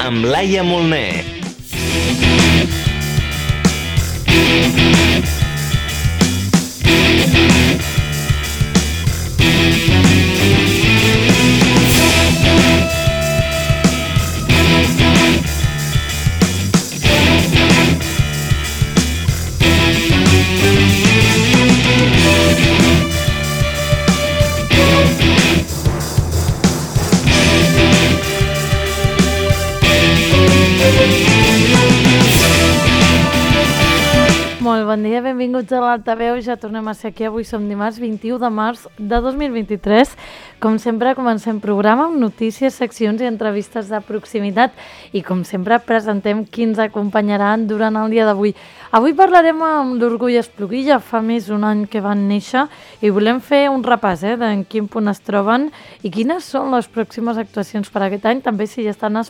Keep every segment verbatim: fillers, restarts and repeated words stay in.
amb Laia Molner. Molt bon dia, benvinguts a l'Altaveu. Ja tornem a ser aquí. Avui som dimarts vint-i-u de març de dos mil vint-i-tres. Com sempre, comencem programa amb notícies, seccions i entrevistes de proximitat. I com sempre, presentem qui ens acompanyaran durant el dia d'avui. Avui parlarem amb l'Orgull Espluguí. Ja fa més d'un any que van néixer i volem fer un repàs eh, d'en quin punt es troben i quines són les pròximes actuacions per aquest any. També si ja estan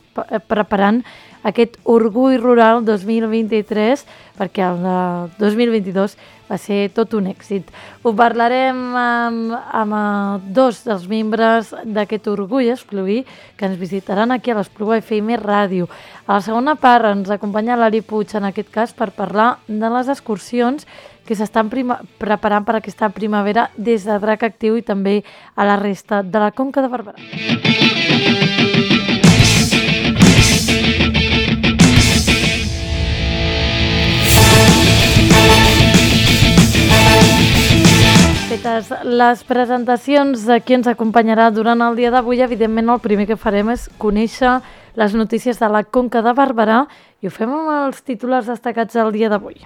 preparant aquest Orgull Rural dos mil vint-i-tres, perquè el de dos mil vint-i-dos va ser tot un èxit. Ho parlarem amb, amb dos dels membres d'aquest Orgull Espluguí que ens visitaran aquí a l'Espluga F M Ràdio. A la segona part ens acompanya l'Ari Puig, en aquest cas, per parlar de les excursions que s'estan prima- preparant per aquesta primavera des de Drac Actiu i també a la resta de la Conca de Barberà. Fetes les presentacions de qui ens acompanyarà durant el dia d'avui, evidentment el primer que farem és conèixer les notícies de la Conca de Barberà i ho fem amb els titulars destacats del dia d'avui.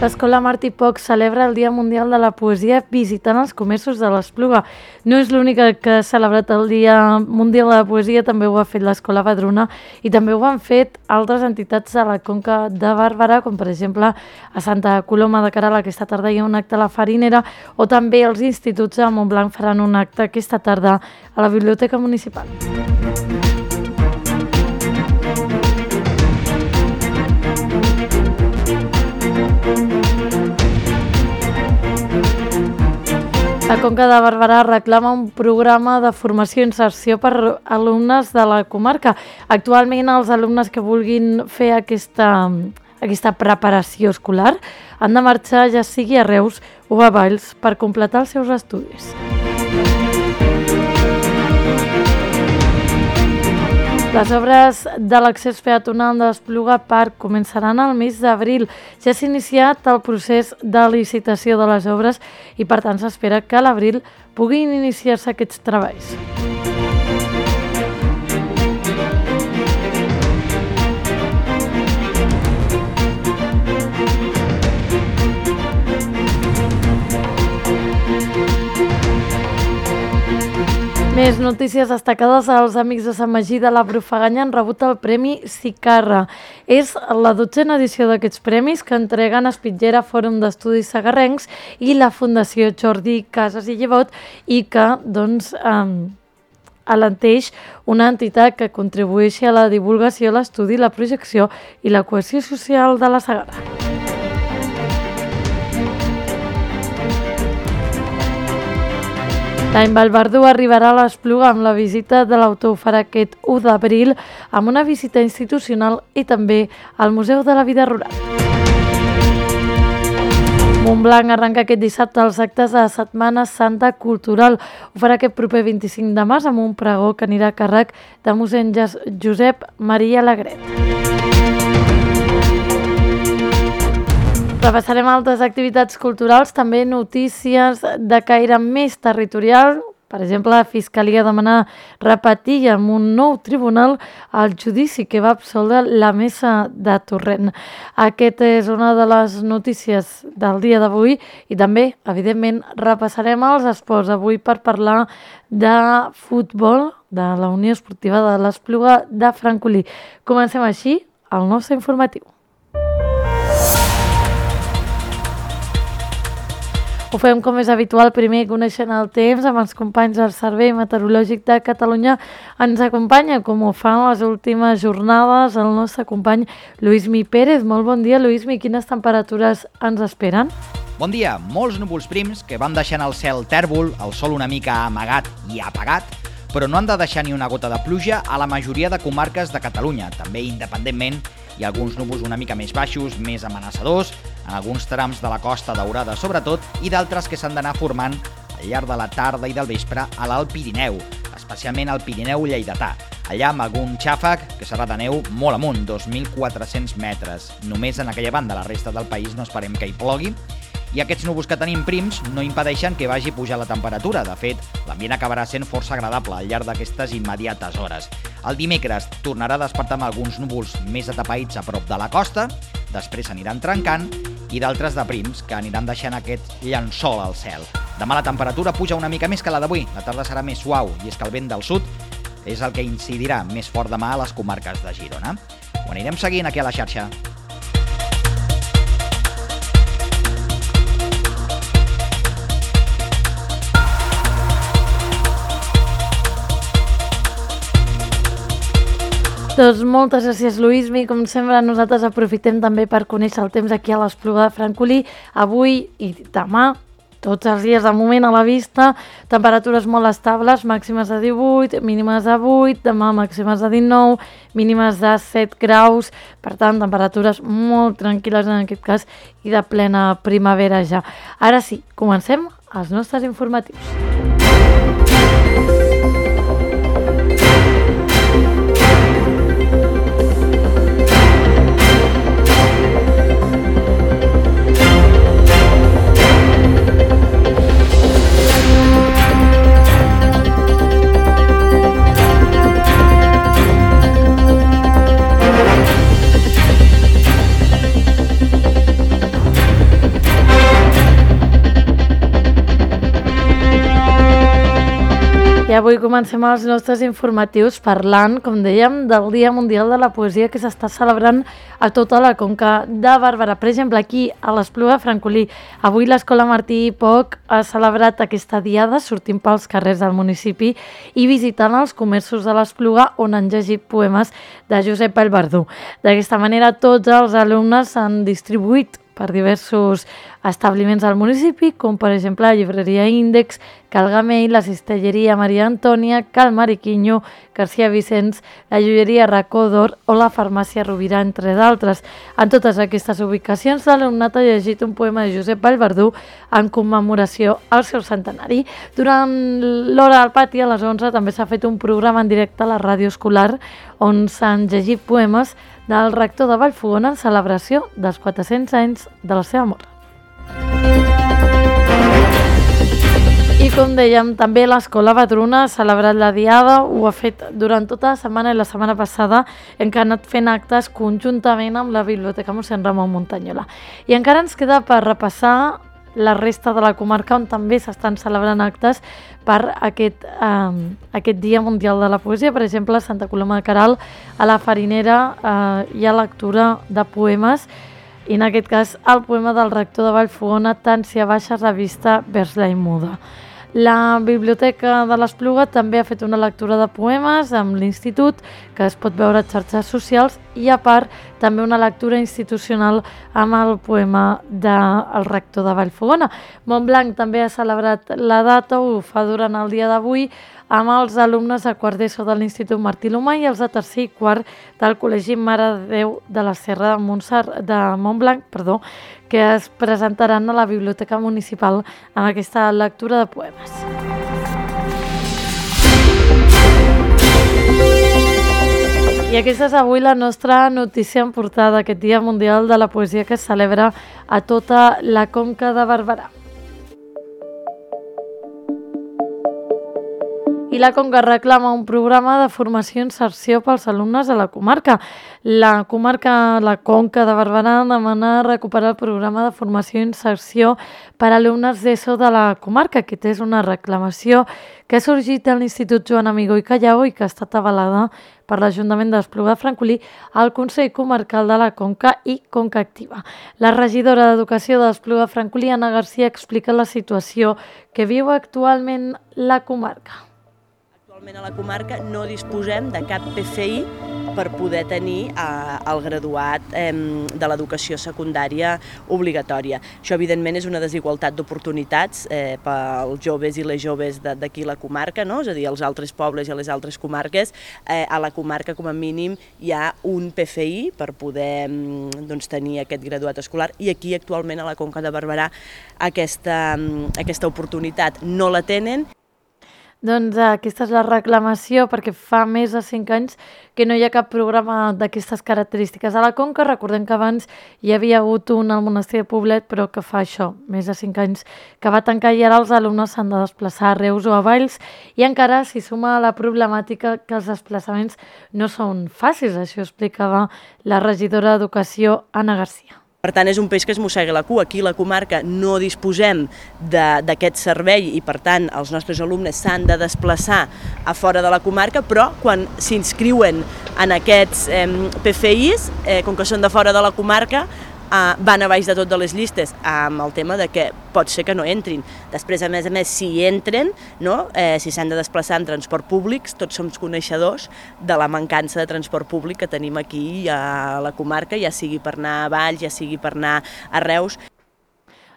L'Escola Martí Poch celebra el Dia Mundial de la Poesia visitant els comerços de l'Espluga. No és l'única que ha celebrat el Dia Mundial de la Poesia, també ho ha fet l'Escola Badruna i també ho han fet altres entitats de la Conca de Barberà, com per exemple a Santa Coloma de Queralt aquesta tarda hi ha un acte a la Farinera, o també els instituts de Montblanc faran un acte aquesta tarda a la Biblioteca Municipal. La Conca de Barberà reclama un programa de formació i inserció per alumnes de la comarca. Actualment, els alumnes que vulguin fer aquesta, aquesta preparació escolar han de marxar ja sigui a Reus o a Valls per completar els seus estudis. Les obres de l'accés peatonal de l'Espluga Park començaran al mes d'abril. Ja s'ha iniciat el procés de licitació de les obres i, per tant, s'espera que a l'abril puguin iniciar-se aquests treballs. Més notícies destacades. Els amics de Sant Magí de la Brufaganya han rebut el Premi Sicarra. És la dotzena edició d'aquests premis que entreguen Espitllera Fòrum d'Estudis Segarrencs i la Fundació Jordi Casas i Llevot i que, doncs, eh, alenteix una entitat que contribueixi a la divulgació, l'estudi, la projecció i la cohesió social de la Segarra. L'any Vallverdú arribarà a l'Espluga amb la visita de l'autor. Ho farà aquest u d'abril amb una visita institucional i també al Museu de la Vida Rural. Montblanc arrenca aquest dissabte els actes de la Setmana Santa Cultural. Ho farà aquest proper vint-i-cinc de març amb un pregó que anirà a càrrec de mossèn Josep Maria Alegret. Repassarem altres activitats culturals, també notícies de caire més territorial, Per exemple, la Fiscalia demana repetir amb un nou tribunal el judici que va absoldre la mesa de Torrent. Aquesta és una de les notícies del dia d'avui i també, evidentment, repassarem els esports avui per parlar de futbol de la Unió Esportiva de l'Espluga de Francolí. Comencem així el nostre informatiu. Ho fem com és habitual, primer coneixent el temps amb els companys del Servei Meteorològic de Catalunya. Ens acompanya, com ho fan les últimes jornades, el nostre company Lluís Mi Pérez. Molt bon dia, Lluís Mi. Quines temperatures ens esperen? Bon dia. Molts núvols prims que van deixant el cel tèrbol, el sol una mica amagat i apagat, però no han de deixar ni una gota de pluja a la majoria de comarques de Catalunya. També, independentment, hi ha alguns núvols una mica més baixos, més amenaçadors, en alguns trams de la Costa Daurada sobretot, i d'altres que s'han d'anar formant al llarg de la tarda i del vespre a l'Alt Pirineu, especialment al Pirineu lleidatà. Allà amb algun xàfec que serà de neu molt amunt, dos mil quatre-cents metres. Només en aquella banda, la resta del país no esperem que hi plogui. I aquests núvols que tenim prims no impedeixen que vagi pujar la temperatura. De fet, l'ambient acabarà sent força agradable al llarg d'aquestes immediates hores. El dimecres tornarà a despertar amb alguns núvols més atapeïts a prop de la costa, després s'aniran trencant, i d'altres de prims que aniran deixant aquest llençol al cel. Demà la temperatura puja una mica més que la d'avui. La tarda serà més suau, i és que el vent del sud és el que incidirà més fort demà a les comarques de Girona. Ho anirem seguint aquí a la xarxa. Doncs moltes gràcies, Lluís Mi. Com sempre, nosaltres aprofitem també per conèixer el temps aquí a l'Espluga de Francolí. Avui i demà, tots els dies de moment a la vista, temperatures molt estables, màximes de divuit, mínimes de vuit, demà màximes de dinou, mínimes de set graus, per tant, temperatures molt tranquil·les en aquest cas i de plena primavera ja. Ara sí, comencem els nostres informatius. I avui comencem els nostres informatius parlant, com dèiem, del Dia Mundial de la Poesia que s'està celebrant a tota la Conca de Barberà. Per exemple, aquí a l'Espluga de Francolí, avui l'Escola Martí i Poch ha celebrat aquesta diada sortint pels carrers del municipi i visitant els comerços de l'Espluga on han llegit poemes de Josep Vallverdú. D'aquesta manera, tots els alumnes s'han distribuït per diversos establiments al municipi, com per exemple la llibreria Índex, Cal Gamell, la cistelleria Maria Antònia, Cal Mariquiño, García Vicens, la joieria Racó d'Or o la farmàcia Rovira, entre d'altres. En totes aquestes ubicacions, l'alumnat ha llegit un poema de Josep Vallverdú en commemoració al seu centenari. Durant l'hora al pati, a les onze, també s'ha fet un programa en directe a la ràdio escolar on s'han llegit poemes del rector de Vallfogona en celebració dels quatre-cents anys de la seva mort. I com dèiem, també l'Escola Vedruna ha celebrat la diada, ho ha fet durant tota la setmana i la setmana passada en què ha anat fent actes conjuntament amb la Biblioteca Mossèn Ramon Muntanyola. I encara ens queda per repassar la resta de la comarca on també s'estan celebrant actes per aquest, eh, aquest Dia Mundial de la Poesia. Per exemple, a Santa Coloma de Queralt, a la Farinera, eh, hi ha lectura de poemes i en aquest cas el poema del rector de Vallfogona, Tància Baixa, revista Vers la Muda. La Biblioteca de l'Espluga també ha fet una lectura de poemes amb l'Institut, que es pot veure a xarxes socials, i a part també una lectura institucional amb el poema del rector de Vallfogona. Montblanc també ha celebrat la data, ho fa durant el dia d'avui, amb els alumnes de quart d'ESO de l'Institut Martí l'Humà i els de tercer i quart del Col·legi Mare de Déu de la Serra de, Montsar, de Montblanc, perdó, que es presentaran a la Biblioteca Municipal amb aquesta lectura de poemes. I aquesta és avui la nostra notícia en portada d'aquest Dia Mundial de la Poesia que es celebra a tota la Conca de Barberà. i la Conca reclama un programa de formació i inserció pels alumnes de la comarca. La comarca, la Conca de Barberà, demana recuperar el programa de formació i inserció per a alumnes d'ESO de la comarca. Aquesta és una reclamació que ha sorgit a l'Institut Joan Amigó i Callao i que ha estat avalada per l'Ajuntament d'Espluga de Francolí, el Consell Comarcal de la Conca i Conca Activa. La regidora d'Educació d'Espluga de Francolí, Anna Garcia, explica la situació que viu actualment la comarca. Actualment a la comarca no disposem de cap P F I per poder tenir eh, el graduat eh, de l'educació secundària obligatòria. Això, evidentment, és una desigualtat d'oportunitats eh, pels joves i les joves d'aquí la comarca, no? És a dir, als altres pobles i a les altres comarques. Eh, a la comarca, com a mínim, hi ha un P F I per poder doncs, tenir aquest graduat escolar i aquí, actualment, a la Conca de Barberà, aquesta, aquesta oportunitat no la tenen. Doncs aquesta és la reclamació perquè fa més de cinc anys que no hi ha cap programa d'aquestes característiques. A la Conca recordem que abans hi havia hagut un al monestir de Poblet, però que fa això, més de cinc anys que va tancar i ara els alumnes s'han de desplaçar a Reus o a Valls i encara s'hi suma la problemàtica que els desplaçaments no són fàcils, això explicava la regidora d'Educació, Anna Garcia. Per tant, és un peix que es mossega la cua. Aquí a la comarca no disposem d'aquest servei i, per tant, els nostres alumnes s'han de desplaçar a fora de la comarca, però quan s'inscriuen en aquests eh, P F Is, eh, com que són de fora de la comarca, eh, van a baix de tot de les llistes, amb el tema de que pot ser que no entrin. Després, a més a més, si entren, no? eh, si s'han de desplaçar en transport públic, tots som coneixedors de la mancança de transport públic que tenim aquí a la comarca, ja sigui per anar a Valls, ja sigui per anar a Reus.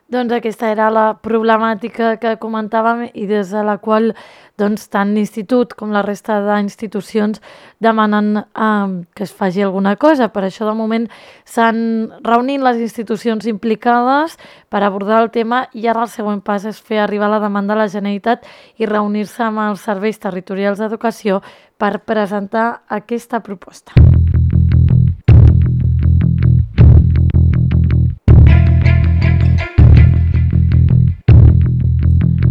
Doncs aquesta era la problemàtica que comentàvem i des de la qual doncs, tant l'Institut com la resta d'institucions demanen eh, que es faci alguna cosa. Per això, de moment, s'han reunit les institucions implicades per abordar el tema i ara el següent pas és fer arribar la demanda a la Generalitat i reunir-se amb els serveis territorials d'educació per presentar aquesta proposta.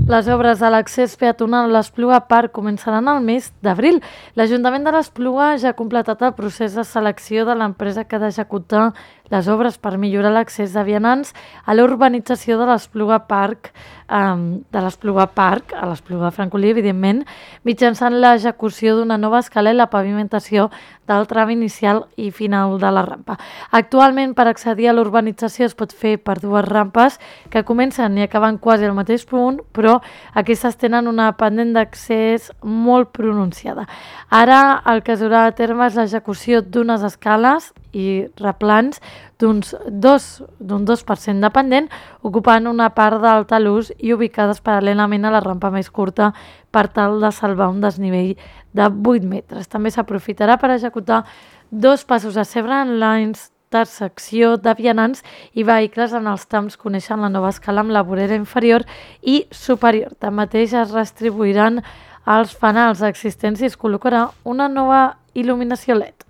Les obres de l'accés peatonal a l'Espluga Park començaran al mes d'abril. L'Ajuntament de l'Espluga ja ha completat el procés de selecció de l'empresa que ha d'executar les obres per millorar l'accés de vianants a l'urbanització de l'Espluga Park, um, de l'Espluga Park, a l'Espluga de Francolí, evidentment, mitjançant l'execució d'una nova escala i la pavimentació del tram inicial i final de la rampa. Actualment, per accedir a l'urbanització es pot fer per dues rampes que comencen i acaben quasi al mateix punt, però aquestes tenen una pendent d'accés molt pronunciada. Ara el que es durà a terme és l'execució d'unes escales i replans d'un dos per cent de pendent, ocupant una part del talús i ubicades paral·lelament a la rampa més curta per tal de salvar un desnivell de vuit metres. També s'aprofitarà per executar dos passos a cebre en la intersecció de vianants i vehicles en els trams coneixen la nova escala amb la vorera inferior i superior. Tanmateix es redistribuiran els fanals existents i es col·locarà una nova il·luminació L E D.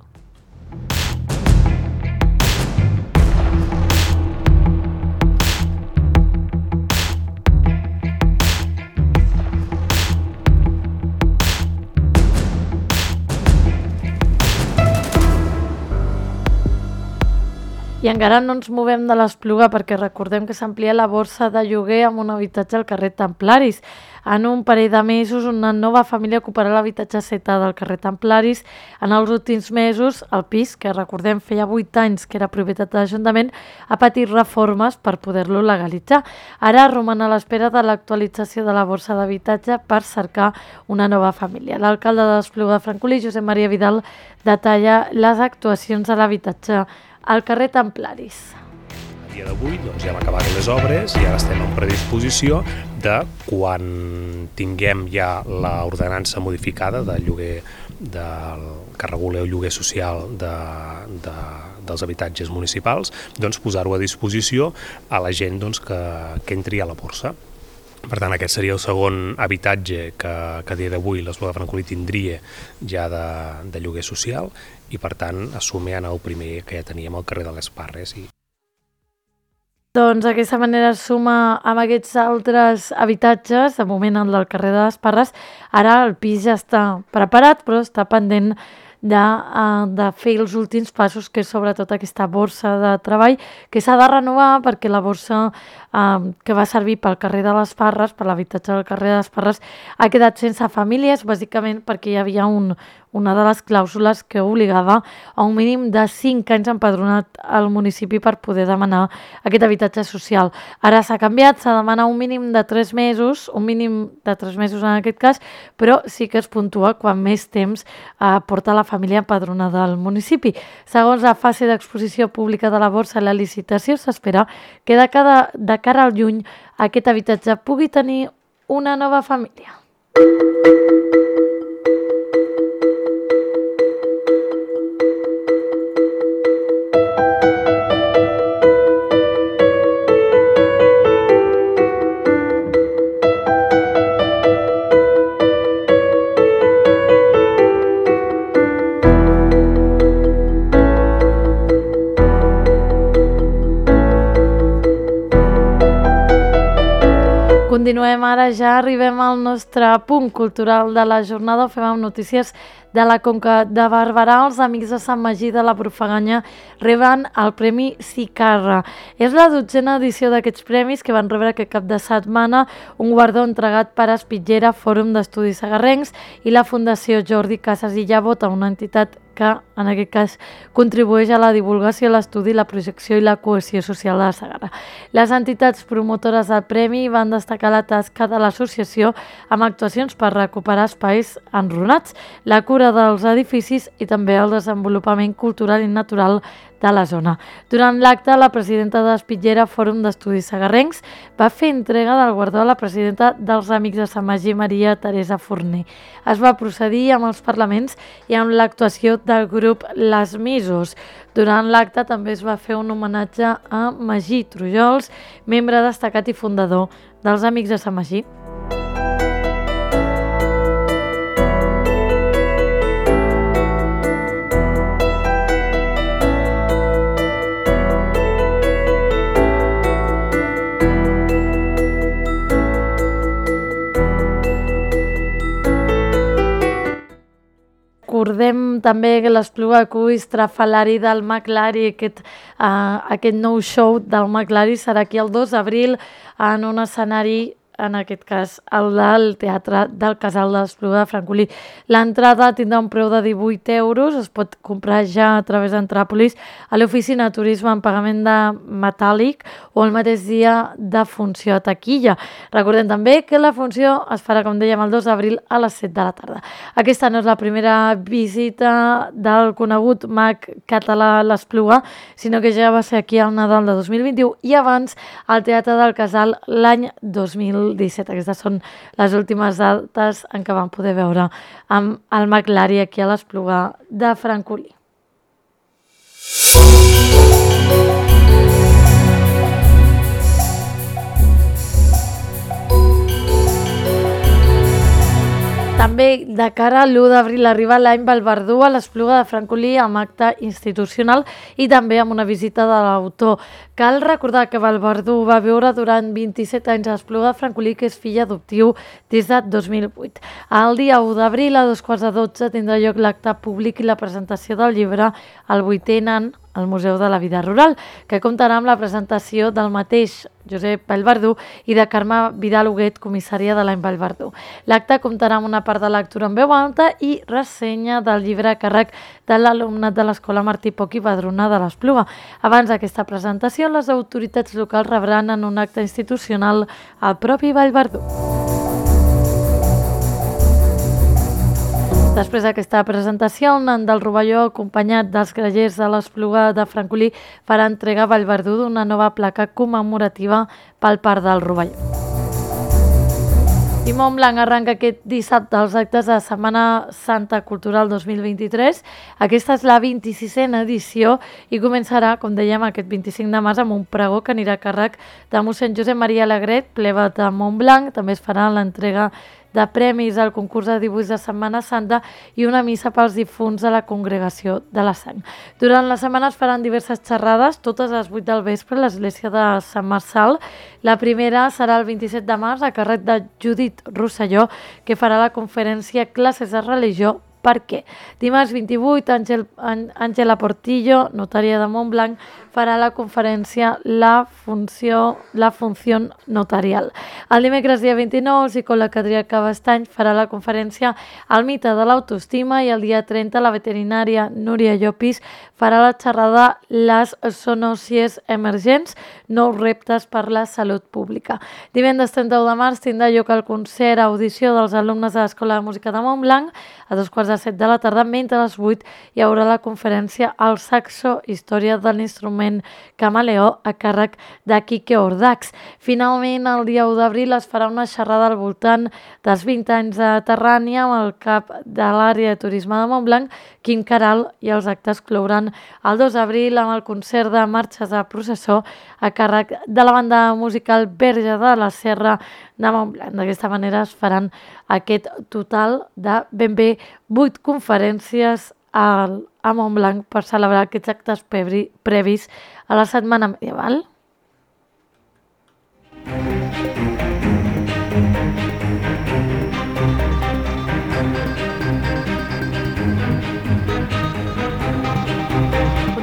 I encara no ens movem de l'Espluga perquè recordem que s'amplia la borsa de lloguer amb un habitatge al carrer Templaris. En un parell de mesos, una nova família ocuparà l'habitatge setà del carrer Templaris. En els últims mesos, el pis, que recordem feia vuit anys que era propietat de l'Ajuntament, ha patit reformes per poder-lo legalitzar. Ara roman a l'espera de l'actualització de la borsa d'habitatge per cercar una nova família. L'alcalde de l'Espluga de Francolí, Josep Maria Vidal, detalla les actuacions a l'habitatge al carrer Templaris. A dia d'avui doncs, ja hem acabat les obres i ara estem en predisposició de quan tinguem ja l'ordenança modificada del lloguer del, que regula el lloguer social de, de, dels habitatges municipals, doncs posar-ho a disposició a la gent doncs, que, que entri a la borsa. Per tant, aquest seria el segon habitatge que, que a dia d'avui l'Espluga de Francolí tindria ja de, de lloguer social i, per tant, assumir en el primer que ja teníem al carrer de les Parres. I... Doncs d'aquesta manera es suma amb aquests altres habitatges, de moment el del carrer de les Parres. Ara el pis ja està preparat, però està pendent de, uh, de fer els últims passos, que és sobretot aquesta borsa de treball, que s'ha de renovar perquè la borsa uh, que va servir pel carrer de les Parres, per l'habitatge del carrer de les Parres, ha quedat sense famílies, bàsicament perquè hi havia un, una de les clàusules que obligava a un mínim de cinc anys empadronat al municipi per poder demanar aquest habitatge social. Ara s'ha canviat, s'ha de demanar un mínim de tres mesos, un mínim de tres mesos en aquest cas, però sí que es puntua quan més temps eh, porta la família empadronada al municipi. Segons la fase d'exposició pública de la borsa i la licitació, s'espera que de, cada, de cara al juny aquest habitatge pugui tenir una nova família. Continuem ara, ja arribem al nostre punt cultural de la jornada. Ho fem amb notícies de la Conca de Barberà. Els Amics de Sant Magí de la Profaganya reben el Premi Sicarra. És la dotzena edició d'aquests premis que van rebre aquest cap de setmana, un guardó entregat per Espitllera, Fòrum d'Estudis Segarrencs i la Fundació Jordi Casas i Llavota, una entitat que en aquest cas contribueix a la divulgació, l'estudi, la projecció i la cohesió social de la Segarra. Les entitats promotores del premi van destacar la tasca de l'associació amb actuacions per recuperar espais enrunats, la cura dels edificis i també el desenvolupament cultural i natural de la zona. Durant l'acte, la presidenta d'Espitllera, Fòrum d'Estudis Segarrencs, va fer entrega del guardó a la presidenta dels Amics de Sant Magí, Maria Teresa Forner. Es va procedir amb els parlaments i amb l'actuació del grup Les Misos. Durant l'acte també es va fer un homenatge a Magí Trujols, membre destacat i fundador dels Amics de Sant Magí. Recordem també que l'Espluga Cuy Estrafalari del Maclari, aquest, uh, aquest nou show del Maclari serà aquí el dos d'abril en un escenari, en aquest cas el del Teatre del Casal de l'Espluga de Francolí. L'entrada tindrà un preu de divuit euros, es pot comprar ja a través d'Entràpolis a l'oficina de turisme en pagament de metàl·lic o el mateix dia de funció a taquilla. Recordem també que la funció es farà, com dèiem, el dos d'abril a les set de la tarda. Aquesta no és la primera visita del conegut mag català a l'Espluga, sinó que ja va ser aquí al Nadal de dos mil vint-i-u i abans al Teatre del Casal l'any dos mil disset. Aquestes són les últimes dates en què vam poder veure amb el Maclari aquí a l'Espluga de Francolí. També de cara a l'u d'abril arriba l'any Vallverdú a l'Espluga de Francolí amb acte institucional i també amb una visita de l'autor. Cal recordar que Vallverdú va viure durant vint-i-set anys a l'Espluga de Francolí, que és fill adoptiu des de dos mil vuit. El dia u d'abril a dos quarts de dotze tindrà lloc l'acte públic i la presentació del llibre El vuitè nan al Museu de la Vida Rural, que comptarà amb la presentació del mateix Josep Vallverdú i de Carme Vidal Huguet, comissària de l'any Vallverdú. L'acte comptarà amb una part de lectura en veu alta i ressenya del llibre a càrrec de l'alumnat de l'Escola Martí Poch i Padrona de l'Espluga. Abans d'aquesta presentació, les autoritats locals rebran en un acte institucional el propi Vallverdú. Després d'aquesta presentació, el nan del Rovelló, acompanyat dels grallers de l'Espluga de Francolí, farà entrega a Vallverdú d'una nova placa commemorativa pel Parc del Rovelló. I Montblanc arranca aquest dissabte els actes de Setmana Santa Cultural dos mil vint-i-tres. Aquesta és la vint-i-sisena edició i començarà, com dèiem, aquest vint-i-cinc de març amb un pregó que anirà a càrrec de mossèn Josep Maria Alegret, plebe de Montblanc. També es farà l'entrega de premis al concurs de dibuix de Setmana Santa i una missa pels difunts de la Congregació de la Sang. Durant la setmana es faran diverses xerrades, totes a les vuit del vespre a l'església de Sant Marçal. La primera serà el vint-i-set de març a càrrec de Judit Rosselló, que farà la conferència Classes de religió. Per què? Dimarts vint-i-vuit, Àngel, Àngela Portillo, notària de Montblanc, farà la conferència La funció, la funció notarial. El dimecres dia vint-i-nou, el psicòleg Adrià Cabestany farà la conferència El mite de l'autoestima i el dia trenta la veterinària Núria Llopis farà la xerrada Les zoonòsies emergents, nous reptes per la salut pública. Divendres trenta-u de març tindrà lloc el concert audició dels alumnes de l'Escola de Música de Montblanc a dos quarts de set de la tarda, mentre a les vuit hi haurà la conferència El saxo, història de l'instrument camaleó a càrrec de Quique Ordax. Finalment, el dia u d'abril es farà una xerrada al voltant dels vint anys de Terrània amb el cap de l'àrea de turisme de Montblanc, Quim Caral, i els actes clouran el dos d'abril amb el concert de marxes de processó a càrrec de la banda musical Verge de la Serra de Montblanc. D'aquesta manera es faran aquest total de ben bé vuit conferències a, a Montblanc per celebrar aquests actes previs a la Setmana Medieval.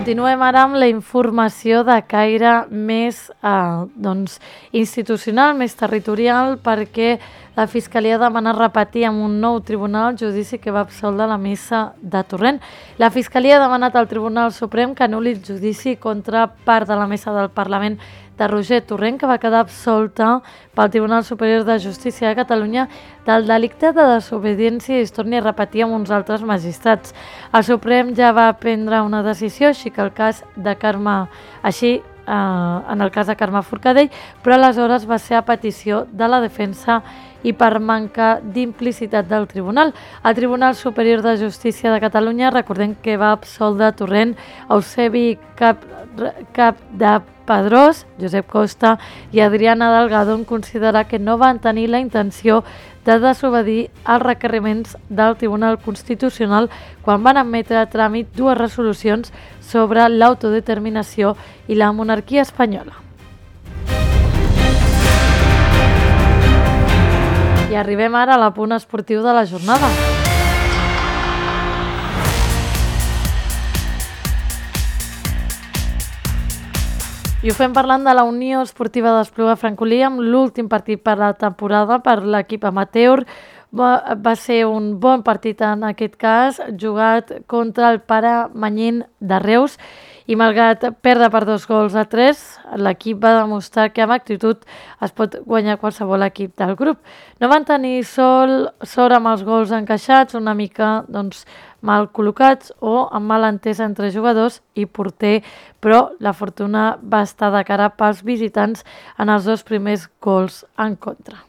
Continuem ara amb la informació de caire més eh, doncs, institucional, més territorial, perquè la Fiscalia demana repetir amb un nou tribunal el judici que va absoldre la missa de Torrent. La Fiscalia ha demanat al Tribunal Suprem que anul·li el judici contra part de la missa del Parlament de Roger Torrent, que va quedar absolta pel Tribunal Superior de Justícia de Catalunya del delicte de desobediència i es torni a repetir amb uns altres magistrats. El Suprem ja va prendre una decisió, així que el cas de Carme, així eh, en el cas de Carme Forcadell, però aleshores va ser a petició de la defensa i per manca d'implicitat del Tribunal. El Tribunal Superior de Justícia de Catalunya, recordem que va absoldre Torrent, Eusebi Cap, Cap de Pedrós, Josep Costa i Adriana Delgado, en considerar que no van tenir la intenció de desobedir els requeriments del Tribunal Constitucional quan van admetre a tràmit dues resolucions sobre l'autodeterminació i la monarquia espanyola. I arribem ara a l'apunt esportiu de la jornada. I ho fem parlant de la Unió Esportiva d'Espluga Francolí amb l'últim partit per la temporada per l'equip amateur. Va, va ser un bon partit en aquest cas, jugat contra el Pare Manyín de Reus, i malgrat perdre per dos gols a tres, l'equip va demostrar que amb actitud es pot guanyar qualsevol equip del grup. No van tenir sol, sort amb els gols encaixats, una mica doncs, mal col·locats o amb mal entès entre jugadors i porter, però la fortuna va estar de cara pels visitants en els dos primers gols en contra.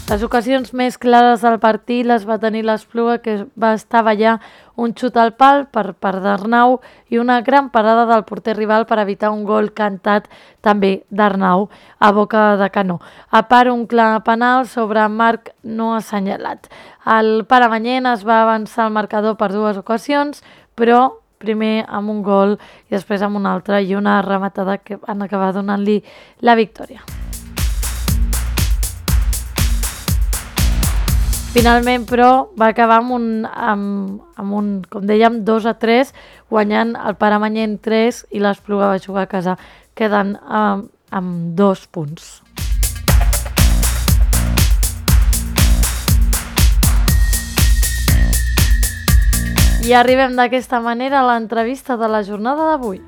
Les ocasions més clares del partit les va tenir l'Espluga, que va estar ballar un xut al pal per part d'Arnau i una gran parada del porter rival per evitar un gol cantat també d'Arnau a boca de canó. A part, un clar penal sobre Marc no assenyalat. El Pare Manyén es va avançar al marcador per dues ocasions, però primer amb un gol i després amb un altre i una rematada que van acabar donant-li la victòria. Finalment, però, va acabar amb un, amb, amb un com dèiem, dos a tres, guanyant el Pare Manyén tres i l'Espluga va jugar a casa, quedant amb, amb dos punts. I arribem d'aquesta manera a l'entrevista de la jornada d'avui.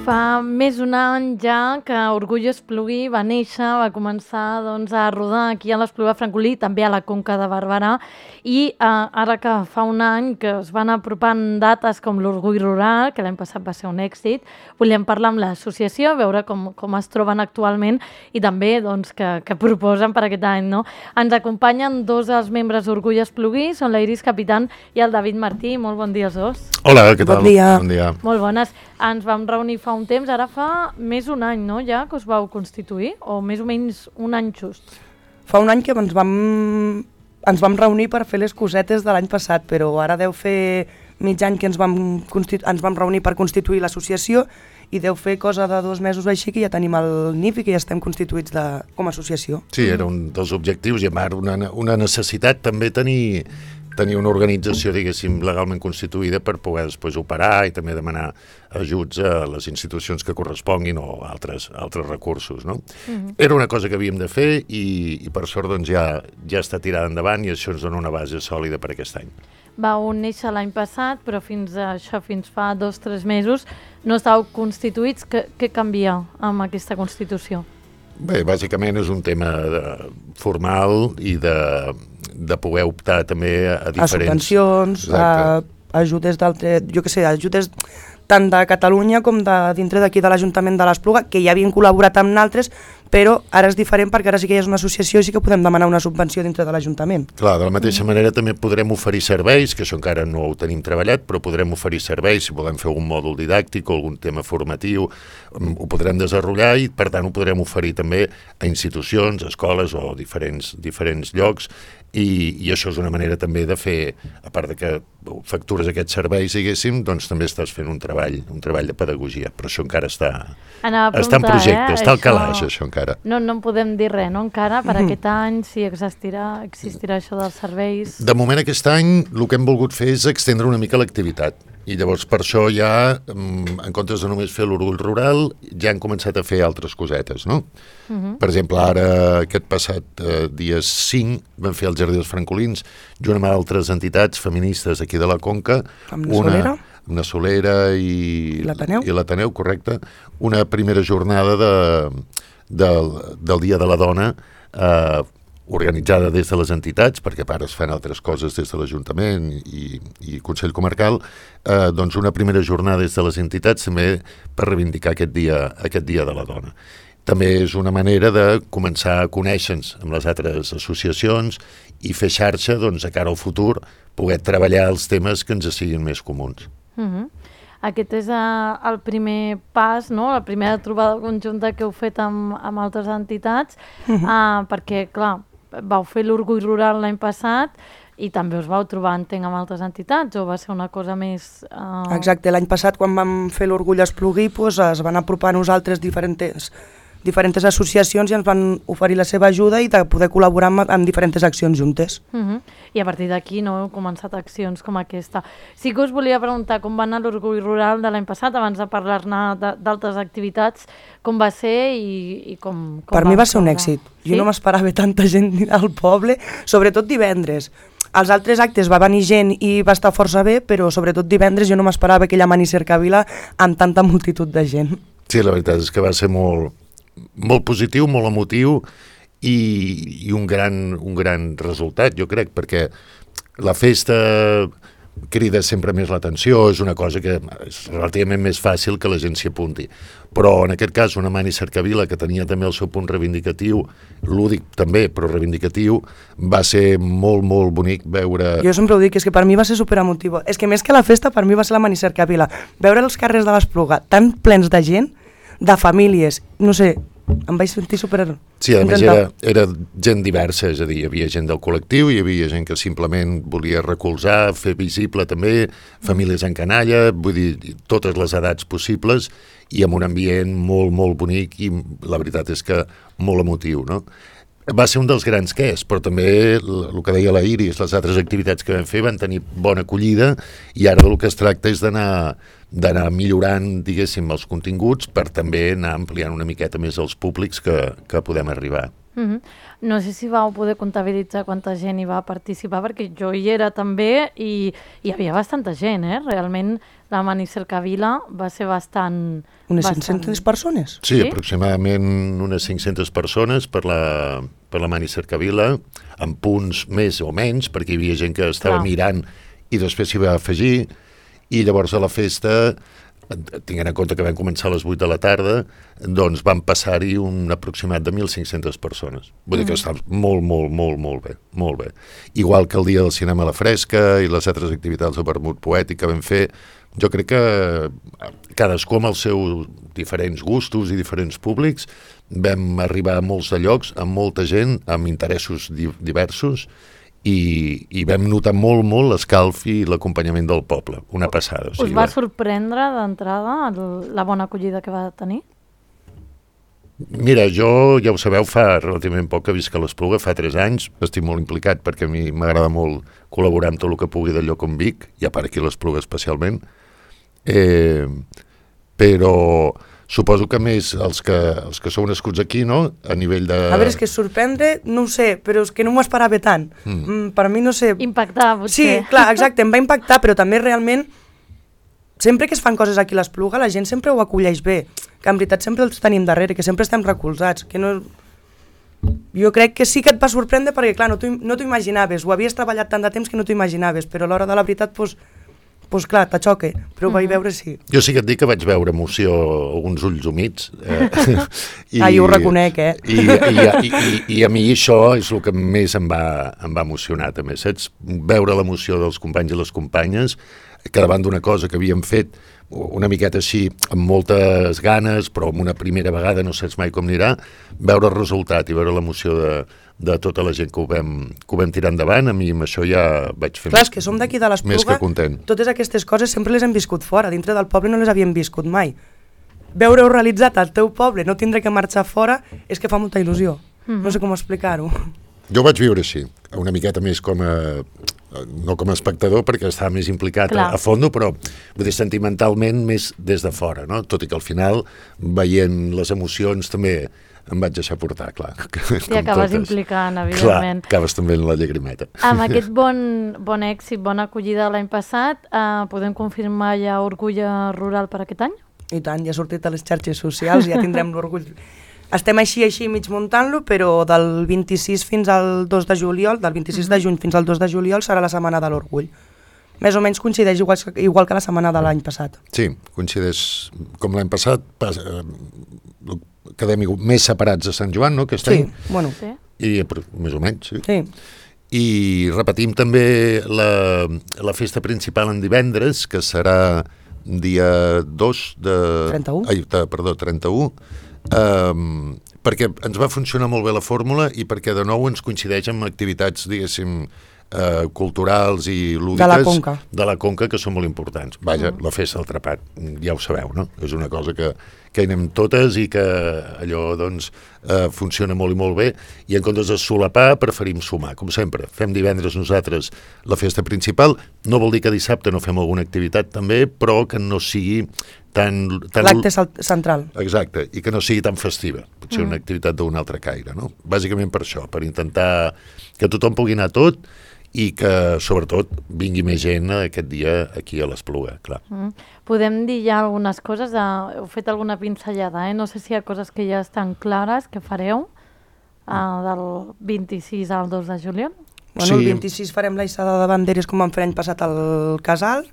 Fa més més d'un any ja que Orgullo Espluguí va néixer, va començar doncs, a rodar aquí a l'Espluga Francolí, també a la Conca de Barberà, i eh, ara que fa un any que es van apropant dates com l'Orgull Rural, que l'any passat va ser un èxit, volíem parlar amb l'associació, veure com, com es troben actualment i també doncs, que, que proposen per aquest any. No? Ens acompanyen dos dels membres d'Orgull Espluguí, són la Iris Capitán i el David Martí. Molt bon dia als dos. Hola, què tal? Bon dia. Bon dia. Molt bones. Ens vam reunir fa un temps, ara fa més d'un any, no?, ja, que us vau constituir, o més o menys un any just? Fa un any que ens vam, ens vam reunir per fer les cosetes de l'any passat, però ara deu fer mig any que ens vam, ens vam reunir per constituir l'associació i deu fer cosa de dos mesos així que ja tenim el N I F i que ja estem constituïts de, com a associació. Sí, era un dels objectius i a part una, una necessitat també tenir, tenir una organització, diguéssim, legalment constituïda per poder després operar i també demanar ajuts a les institucions que corresponguin o altres, altres recursos, no? Uh-huh. Era una cosa que havíem de fer i, i per sort doncs, ja, ja està tirada endavant i això ens dona una base sòlida per aquest any. Vau néixer l'any passat, però fins a això, fins fa dos o tres mesos, no estàveu constituïts. Què, què canvia amb aquesta Constitució? Bé, bàsicament és un tema de, formal i de, de poder optar també a diferents... A subvencions, a ajudes d'altres, jo què sé, ajudes tant de Catalunya com de dintre d'aquí de l'Ajuntament de l'Espluga, que ja havien col·laborat amb naltres, però ara és diferent perquè ara sí que ja és una associació i sí que podem demanar una subvenció dintre de l'Ajuntament. Clar, de la mateixa manera també podrem oferir serveis, que això encara no ho tenim treballat, però podrem oferir serveis, si volem fer algun mòdul didàctic o algun tema formatiu, ho podrem desenvolupar i per tant ho podrem oferir també a institucions, escoles o diferents, diferents llocs i, i això és una manera també de fer, a part de que factures aquests serveis, diguéssim, doncs també estàs fent un treball, un treball de pedagogia, però això encara està, està en projecte, eh? està al calaix, això encara. No, no en podem dir res, no, encara, per mm. aquest any, si existirà, existirà això dels serveis. De moment aquest any el que hem volgut fer és extendre una mica l'activitat i llavors per això ja, en comptes de només fer l'Orgull Rural, ja han començat a fer altres cosetes, no? Mm-hmm. Per exemple, ara, aquest passat eh, dia cinc, vam fer el Jardí dels Francolins, junt amb altres entitats feministes aquí de la Conca. Amb la Solera? Una Solera i l'Ateneu, i l'Ateneu, correcte. Una primera jornada de, del, del Dia de la Dona, eh, organitzada des de les entitats, perquè a part es fan altres coses des de l'Ajuntament i, i Consell Comarcal, eh, doncs una primera jornada des de les entitats també per reivindicar aquest dia, aquest dia de la dona. També és una manera de començar a conèixer-nos amb les altres associacions i fer xarxa, doncs, a cara al futur, poder treballar els temes que ens siguin més comuns. Mm-hmm. Aquest és uh, el primer pas, no? La primera trobada conjunta que heu fet amb, amb altres entitats, mm-hmm. uh, perquè, clar, vau fer l'Orgull Rural l'any passat i també us vau trobar, entenc, amb altres entitats, o va ser una cosa més... Uh... Exacte, l'any passat quan vam fer l'Orgull Espluguí pues, es van apropar a nosaltres diferents, diferents associacions i ens van oferir la seva ajuda i de poder col·laborar amb, amb diferents accions juntes. Uh-huh. I a partir d'aquí no heu començat accions com aquesta. Sí que us volia preguntar com va anar l'Orgull Rural de l'any passat, abans de parlar-ne d'altres activitats, com va ser i, i com, com per va mi va ser un èxit. Jo sí? no m'esperava tanta gent al poble, sobretot divendres. Els altres actes va venir gent i va estar força bé, però sobretot divendres jo no m'esperava aquella mani cercavila amb tanta multitud de gent. Sí, la veritat és que va ser molt, molt positiu, molt emotiu i, i un, gran, un gran resultat, jo crec, perquè la festa crida sempre més l'atenció, és una cosa que és relativament més fàcil que la gent s'hi apunti. Però en aquest cas una mani cercavila que tenia també el seu punt reivindicatiu, lúdic també, però reivindicatiu, va ser molt, molt bonic veure... Jo sempre ho dic, és que per mi va ser superemotiu. És que més que la festa, per mi va ser la mani cercavila. Veure els carrers de l'Espluga tan plens de gent, de famílies, no sé, em vaig sentir super... Sí, a més era, era gent diversa, és a dir, hi havia gent del col·lectiu, hi havia gent que simplement volia recolzar, fer visible també, famílies en canalla, vull dir, totes les edats possibles i amb un ambient molt, molt bonic i la veritat és que molt emotiu, no? Va ser un dels grans que és, però també el que deia la Iris, les altres activitats que vam fer van tenir bona acollida i ara del que es tracta és d'anar d'anar millorant, diguéssim, els continguts per també anar ampliant una miqueta més els públics que, que podem arribar. Mm-hmm. No sé si vau poder comptabilitzar quanta gent hi va participar, perquè jo hi era també i hi havia bastanta gent, eh? Realment la Mani Cercavila va ser bastant... Unes bastant... cinc-centes persones? Sí, Sí? aproximadament unes cinc-centes persones per la, per la Mani Cercavila, amb punts més o menys, perquè hi havia gent que estava Clar. mirant i després s'hi va afegir, i llavors a la festa, tinguent en compte que vam començar a les vuit de la tarda, doncs van passar-hi un aproximat de mil cinc-centes persones. Vull dir que està molt, molt, molt, molt bé, molt bé. Igual que el dia del cinema a la fresca i les altres activitats de vermut poètic que vam fer, jo crec que cadascú amb els seus diferents gustos i diferents públics vam arribar a molts de llocs, amb molta gent, amb interessos di- diversos, i, i vam notar molt, molt l'escalf i l'acompanyament del poble, una passada. O Us sigui, va sorprendre d'entrada el- la bona acollida que va tenir? Mira, jo, ja ho sabeu, fa relativament poc que visc a l'Espluga, fa tres anys, estic molt implicat perquè a mi m'agrada molt col·laborar amb tot el que pugui d'allò com Vic, i a part aquí a l'Espluga especialment, eh, però suposo que més els que, els que sou nascuts aquí, no?, a nivell de... A veure, és que sorprendre, no ho sé, però és que no m'ho esperava tant. Mm. Mm, per mi, no sé... Impactar, Sí, potser. clar, exacte, em va impactar, però també realment, sempre que es fan coses aquí a l'Espluga, la gent sempre ho acolleix bé, que en veritat sempre els tenim darrere, que sempre estem recolzats, que no... Jo crec que sí que et va sorprendre perquè, clar, no t'ho no t'ho imaginaves, ho havies treballat tant de temps que no t'ho imaginaves, però a l'hora de la veritat, doncs, pues clar, t'aixoque, però ho vaig veure sí. Jo sí que et dic que vaig veure emoció, alguns ulls humits. Eh, i, ah, jo ho reconec, eh? I, i, i, i, I a mi això és el que més em va, em va emocionar, també, saps? Veure l'emoció dels companys i les companyes, que davant d'una cosa que havíem fet una miqueta així, amb moltes ganes, però amb una primera vegada no saps mai com anirà, veure el resultat i veure l'emoció de, de tota la gent que ho, vam, que ho vam tirar endavant, a mi amb això ja vaig fer Clar, més, és que som d'aquí de més que l'Espluga, content. totes aquestes coses sempre les hem viscut fora, dintre del poble no les havíem viscut mai. Veure-ho realitzat al teu poble, no tindre que marxar fora, és que fa molta il·lusió. Mm-hmm. No sé com explicar-ho. Jo ho vaig viure així, una miqueta més com a... no com a espectador perquè estava més implicat a, a fondo, però vull dir, sentimentalment més des de fora, no? Tot i que al final, veient les emocions també em vaig deixar portar, clar. I acabes totes. Implicant, evidentment. Clar, acabes també en la llagrimeta. Amb aquest bon, bon èxit, bona acollida l'any passat, eh, podem confirmar ja Orgull Rural per aquest any? I tant, ja ha sortit a les xarxes socials, ja tindrem l'orgull. Estem així, així, mig muntant-lo, però del vint-i-sis fins al dos de juliol, del vint-i-sis de juny fins al dos de juliol serà la setmana de l'Orgull. Més o menys coincideix igual, igual que la setmana de l'any passat. Sí, coincideix com l'any passat, pas, eh, quedem més separats de Sant Joan, no?, aquest sí, any. Bueno. Sí, I més o menys, sí. Sí. I repetim també la, la festa principal en divendres, que serà dia dos de... trenta-u. Ai, de, perdó, trenta-u, Um, perquè ens va funcionar molt bé la fórmula i perquè de nou ens coincideix amb activitats, diguéssim, uh, culturals i lúdiques de la Conca, de la Conca que són molt importants. Vaja, mm. la festa del Trepat, ja ho sabeu, no? És una cosa que, que hi anem totes i que allò, doncs, uh, funciona molt i molt bé, i en comptes de solapar preferim sumar, com sempre. Fem divendres nosaltres la festa principal, no vol dir que dissabte no fem alguna activitat també, però que no sigui tan... tan... l'acte central. Exacte, i que no sigui tan festiva, potser mm. una activitat d'un altre caire, no? Bàsicament per això, per intentar que tothom pugui anar tot i que, sobretot, vingui més gent aquest dia aquí a l'Espluga, clar. Mm. Podem dir ja algunes coses, de... heu fet alguna pinzellada, eh? No sé si hi ha coses que ja estan clares que fareu uh, del vint-i-sis al dos de juliol. Bueno, sí. El vint-i-sis farem la hissada de banderes com vam fer l'any passat al Casal.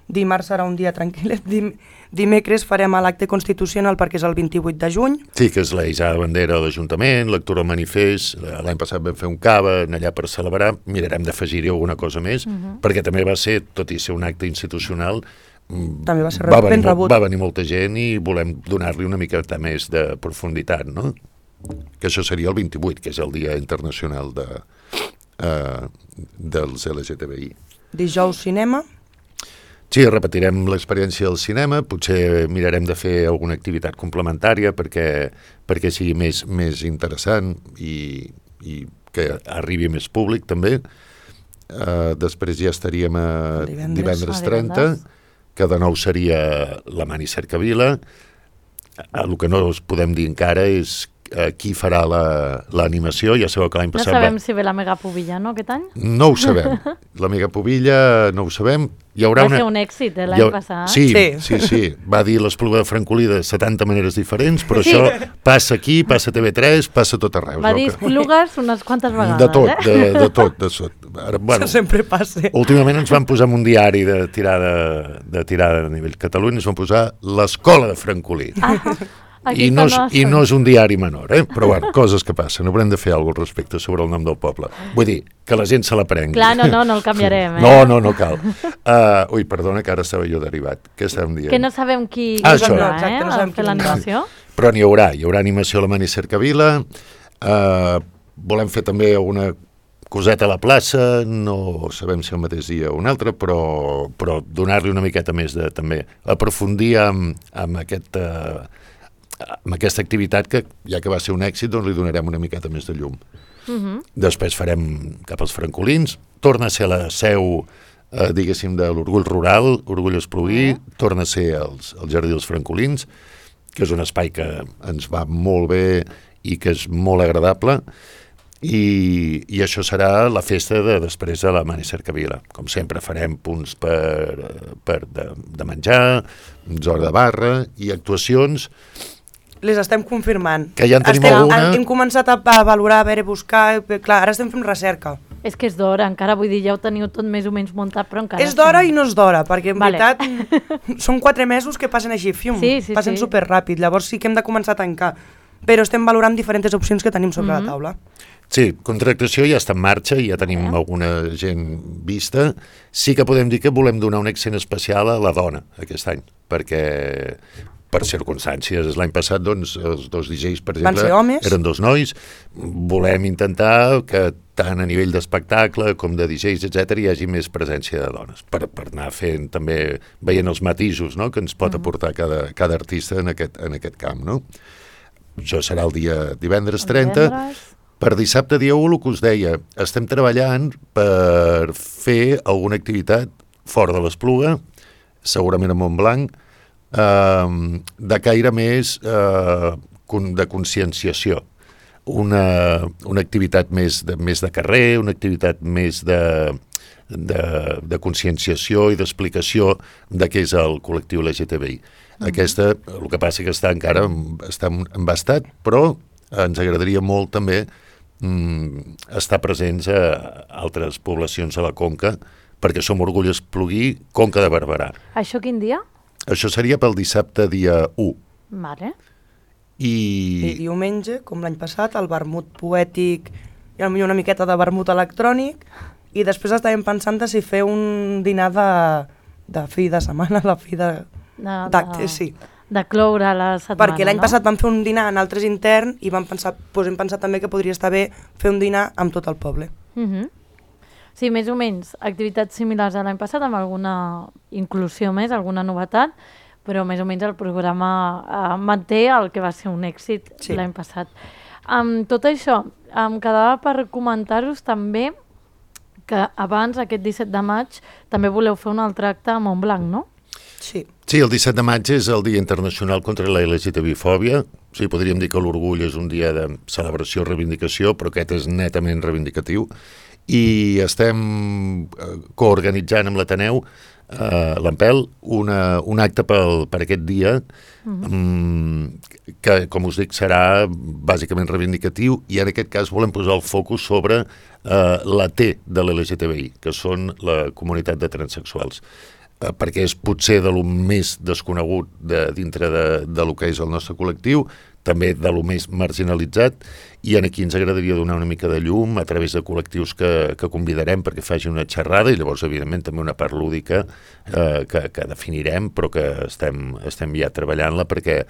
Dimarts serà un dia tranquil. Dim dimecres farem l'acte constitucional perquè és el vint-i-vuit de juny. Sí, que és la hissada de bandera a l'Ajuntament, lectura al manifest. L'any passat vam fer un cava allà per celebrar. Mirarem d'afegir-hi alguna cosa més, uh -huh. perquè també va ser, tot i ser un acte institucional, també va ser va venir, ben rebut. Va venir molta gent i volem donar-li una miqueta més de profunditat, no? Que això seria el vint-i-vuit, que és el Dia Internacional de, uh, dels L G T B I. Dijous cinema. Sí, repetirem l'experiència del cinema, potser mirarem de fer alguna activitat complementària perquè, perquè sigui més, més interessant i, i que arribi més públic també. Uh, després ja estaríem a divendres, divendres trenta, que de nou seria la Mani Cercavila. El que no us podem dir encara és eh, qui farà l'animació. Ja sabeu que l'any No passat... sabem va... si ve la Megapubilla, no, aquest any? No ho sabem. La Megapubilla no ho sabem. Hi haurà Va una... ser un èxit, eh, l'any ha... passat. Sí, sí, Sí. sí, sí. Va dir l'Espluga de Francolí de setanta maneres diferents, però Sí. això passa aquí, passa a T V tres, passa a tot arreu. Va no? dir Que- esplugues unes quantes vegades, De tot, eh? de, de tot. De tot. Ara, bueno, Això sempre passa. últimament ens van posar en un diari de tirada, de tirada a nivell Catalunya, ens van posar l'Escola de Francolí. Ah, I no, és, aquesta I no és un diari menor, eh? Però bueno, coses que passen. Haurem de fer alguna cosa al respecte sobre el nom del poble. Vull dir, que la gent se l'aprengui. Clar, no, no, no el canviarem, eh? No, no, no cal. Uh, ui, perdona, que ara estava jo derivat. Què estàvem dient? Que no sabem qui Ah, qui això. vindrà, No, exacte, eh? no a sabem fer qui vindrà. l'animació. Però n'hi haurà. Hi haurà animació a la Mani Cercavila. Uh, volem fer també una coseta a la plaça, no sabem si el mateix dia o un altre, però, però donar-li una miqueta més de, també, aprofundir amb, amb, aquest, uh, amb aquesta activitat que, ja que va ser un èxit, doncs li donarem una miqueta més de llum. Uh -huh. Després farem cap als francolins, torna a ser la seu, eh, diguéssim, de l'Orgull Rural, Orgull Espluguí, uh -huh. torna a ser els, el Jardí dels Francolins, que és un espai que ens va molt bé i que és molt agradable, i, i això serà la festa de després de la Mani Cercavila. Com sempre farem punts per, per de, de menjar, zona de barra i actuacions. Les estem confirmant. Que ja en tenim estem, alguna. Hem començat a, a valorar, a veure, buscar... Clar, ara estem fent recerca. És que és d'hora, encara vull dir, ja ho teniu tot més o menys muntat, però encara... És d'hora i no és d'hora, perquè en Vale. veritat són quatre mesos que passen així, fium, Sí, sí, passen sí. superràpid, llavors sí que hem de començar a tancar, però estem valorant diferents opcions que tenim sobre Mhm. la taula. Sí, contractació ja està en marxa, ja tenim alguna gent vista. Sí que podem dir que volem donar un accent especial a la dona aquest any, perquè per circumstàncies, l'any passat doncs, els dos D Js, per Van exemple, ser homes. eren dos nois. Volem intentar que tant a nivell d'espectacle com de D Js, etcètera, hi hagi més presència de dones, per, per anar fent també, veient els matisos, no?, que ens pot aportar cada, cada artista en aquest, en aquest camp, no? Això serà el dia divendres trenta. Divendres. Per dissabte dia u, el que us deia, estem treballant per fer alguna activitat fora de l'Espluga, segurament a Montblanc, eh, de caire més eh, con- de conscienciació. Una, una activitat més de, més de carrer, una activitat més de, de, de conscienciació i d'explicació de què és el col·lectiu L G T B I. Aquesta, el que passa que està encara està embastat, però ens agradaria molt també mm, estar presents a altres poblacions de la Conca, perquè som Orgull Espluguí, Conca de Barberà. Això quin dia? Això seria pel dissabte dia u. Vale. I I, diumenge, com l'any passat, el vermut poètic i potser una miqueta de vermut electrònic, i després estàvem pensant de si fer un dinar de, de fi de setmana, de fi de... De, d'actes, sí. De cloure la setmana, Perquè l'any no? passat vam fer un dinar en altres intern i vam pensar, doncs hem pensat també que podria estar bé fer un dinar amb tot el poble. Uh -huh. Sí, més o menys activitats similars a l'any passat, amb alguna inclusió més, alguna novetat, però més o menys el programa eh, manté el que va ser un èxit Sí. l'any passat. Amb tot això, em quedava per comentar-vos també que abans, aquest disset de maig, també voleu fer un altre acte a Montblanc, no? Sí. sí, el disset de maig és el Dia Internacional contra la L G T B fòbia. Sí, podríem dir que l'orgull és un dia de celebració, reivindicació, però aquest és netament reivindicatiu. I estem eh, coorganitzant amb l'Ateneu, eh, l'Ampel, una, un acte pel, per aquest dia, Mhm. mm, que, com us dic, serà bàsicament reivindicatiu, i en aquest cas volem posar el focus sobre eh, la T de l'L G T B I, que són la comunitat de transsexuals. Eh, perquè és potser de lo més desconegut de, dintre de, de lo que és el nostre col·lectiu, també de lo més marginalitzat, i aquí ens agradaria donar una mica de llum a través de col·lectius que, que convidarem perquè faci una xerrada, i llavors, evidentment, també una part lúdica eh, que, que definirem, però que estem, estem ja treballant-la perquè,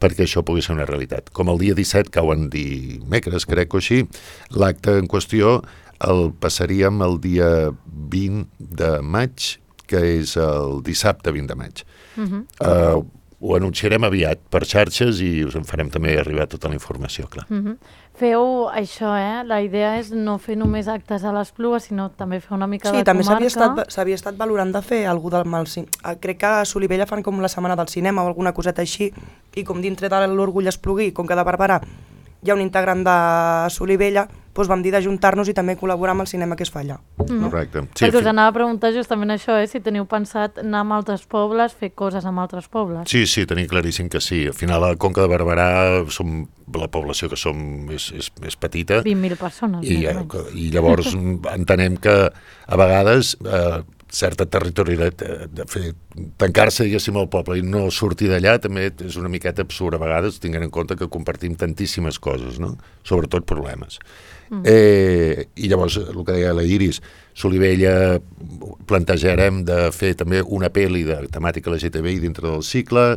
perquè això pugui ser una realitat. Com el dia disset, cauen dimecres, crec o així, l'acte en qüestió el passaríem el dia vint de maig, que és el dissabte vint de maig. Uh -huh. Uh, ho anunciarem aviat per xarxes i us en farem també arribar tota la informació, clar. Uh -huh. Feu això, eh? La idea és no fer només actes a l'Espluga, sinó també fer una mica Sí, de també comarca. s'havia estat, s'havia estat valorant de fer algú del mal cine. Crec que a Solivella fan com la setmana del cinema o alguna coseta així, i com dintre de l'Orgull Espluguí, com que de Barberà hi ha un integrant de Solivella, doncs vam dir d'ajuntar-nos i també col·laborar amb el cinema que es fa allà. Mm. Correcte. Sí, Perquè us anava a preguntar justament això, eh? Si teniu pensat anar a altres pobles, fer coses amb altres pobles. Sí, sí, tenim claríssim que sí. Al final, a la Conca de Barberà, som, la població que som és, és, és petita. vint mil persones. I, i llavors entenem que a vegades eh, certa territorialitat de, de fer tancar-se, diguéssim, al poble i no sortir d'allà també és una miqueta absurd a vegades, tinguent en compte que compartim tantíssimes coses, no? Sobretot problemes. Mm. Eh, I llavors, el que deia la Iris, Solivella plantejarem de fer també una pel·li de temàtica L G T B I dintre del cicle,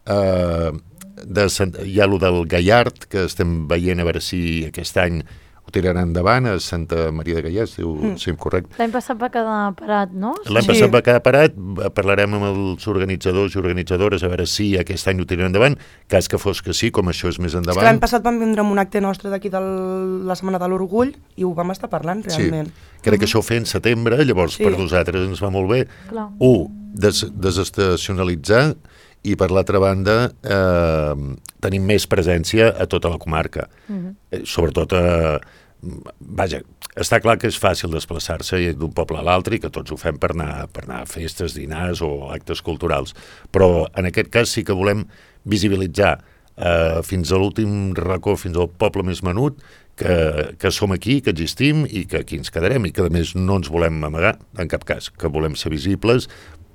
eh, de, hi ha el del Gallard, que estem veient a veure si aquest any ho tiraran endavant, a Santa Maria de Gallard, si mm. sí, correcte. L'any passat va quedar parat, no? L'any Sí. passat va quedar parat, parlarem amb els organitzadors i organitzadores a veure si aquest any ho tiraran endavant, cas que fos que sí, com això és més És endavant. que l'any passat vam vindre amb un acte nostre d'aquí de la Setmana de l'Orgull i ho vam estar parlant realment. Sí, crec que això ho feia en setembre, llavors Sí. per nosaltres ens va molt bé. Clar. Un, des, desestacionalitzar, i per l'altra banda eh, tenim més presència a tota la comarca. Mhm. Eh, sobretot a... Vaja, està clar que és fàcil desplaçar-se d'un poble a l'altre i que tots ho fem per anar, per anar a festes, dinars o actes culturals. Però en aquest cas sí que volem visibilitzar eh, fins a l'últim racó, fins al poble més menut, que, que som aquí, que existim i que aquí ens quedarem i que a més no ens volem amagar en cap cas, que volem ser visibles,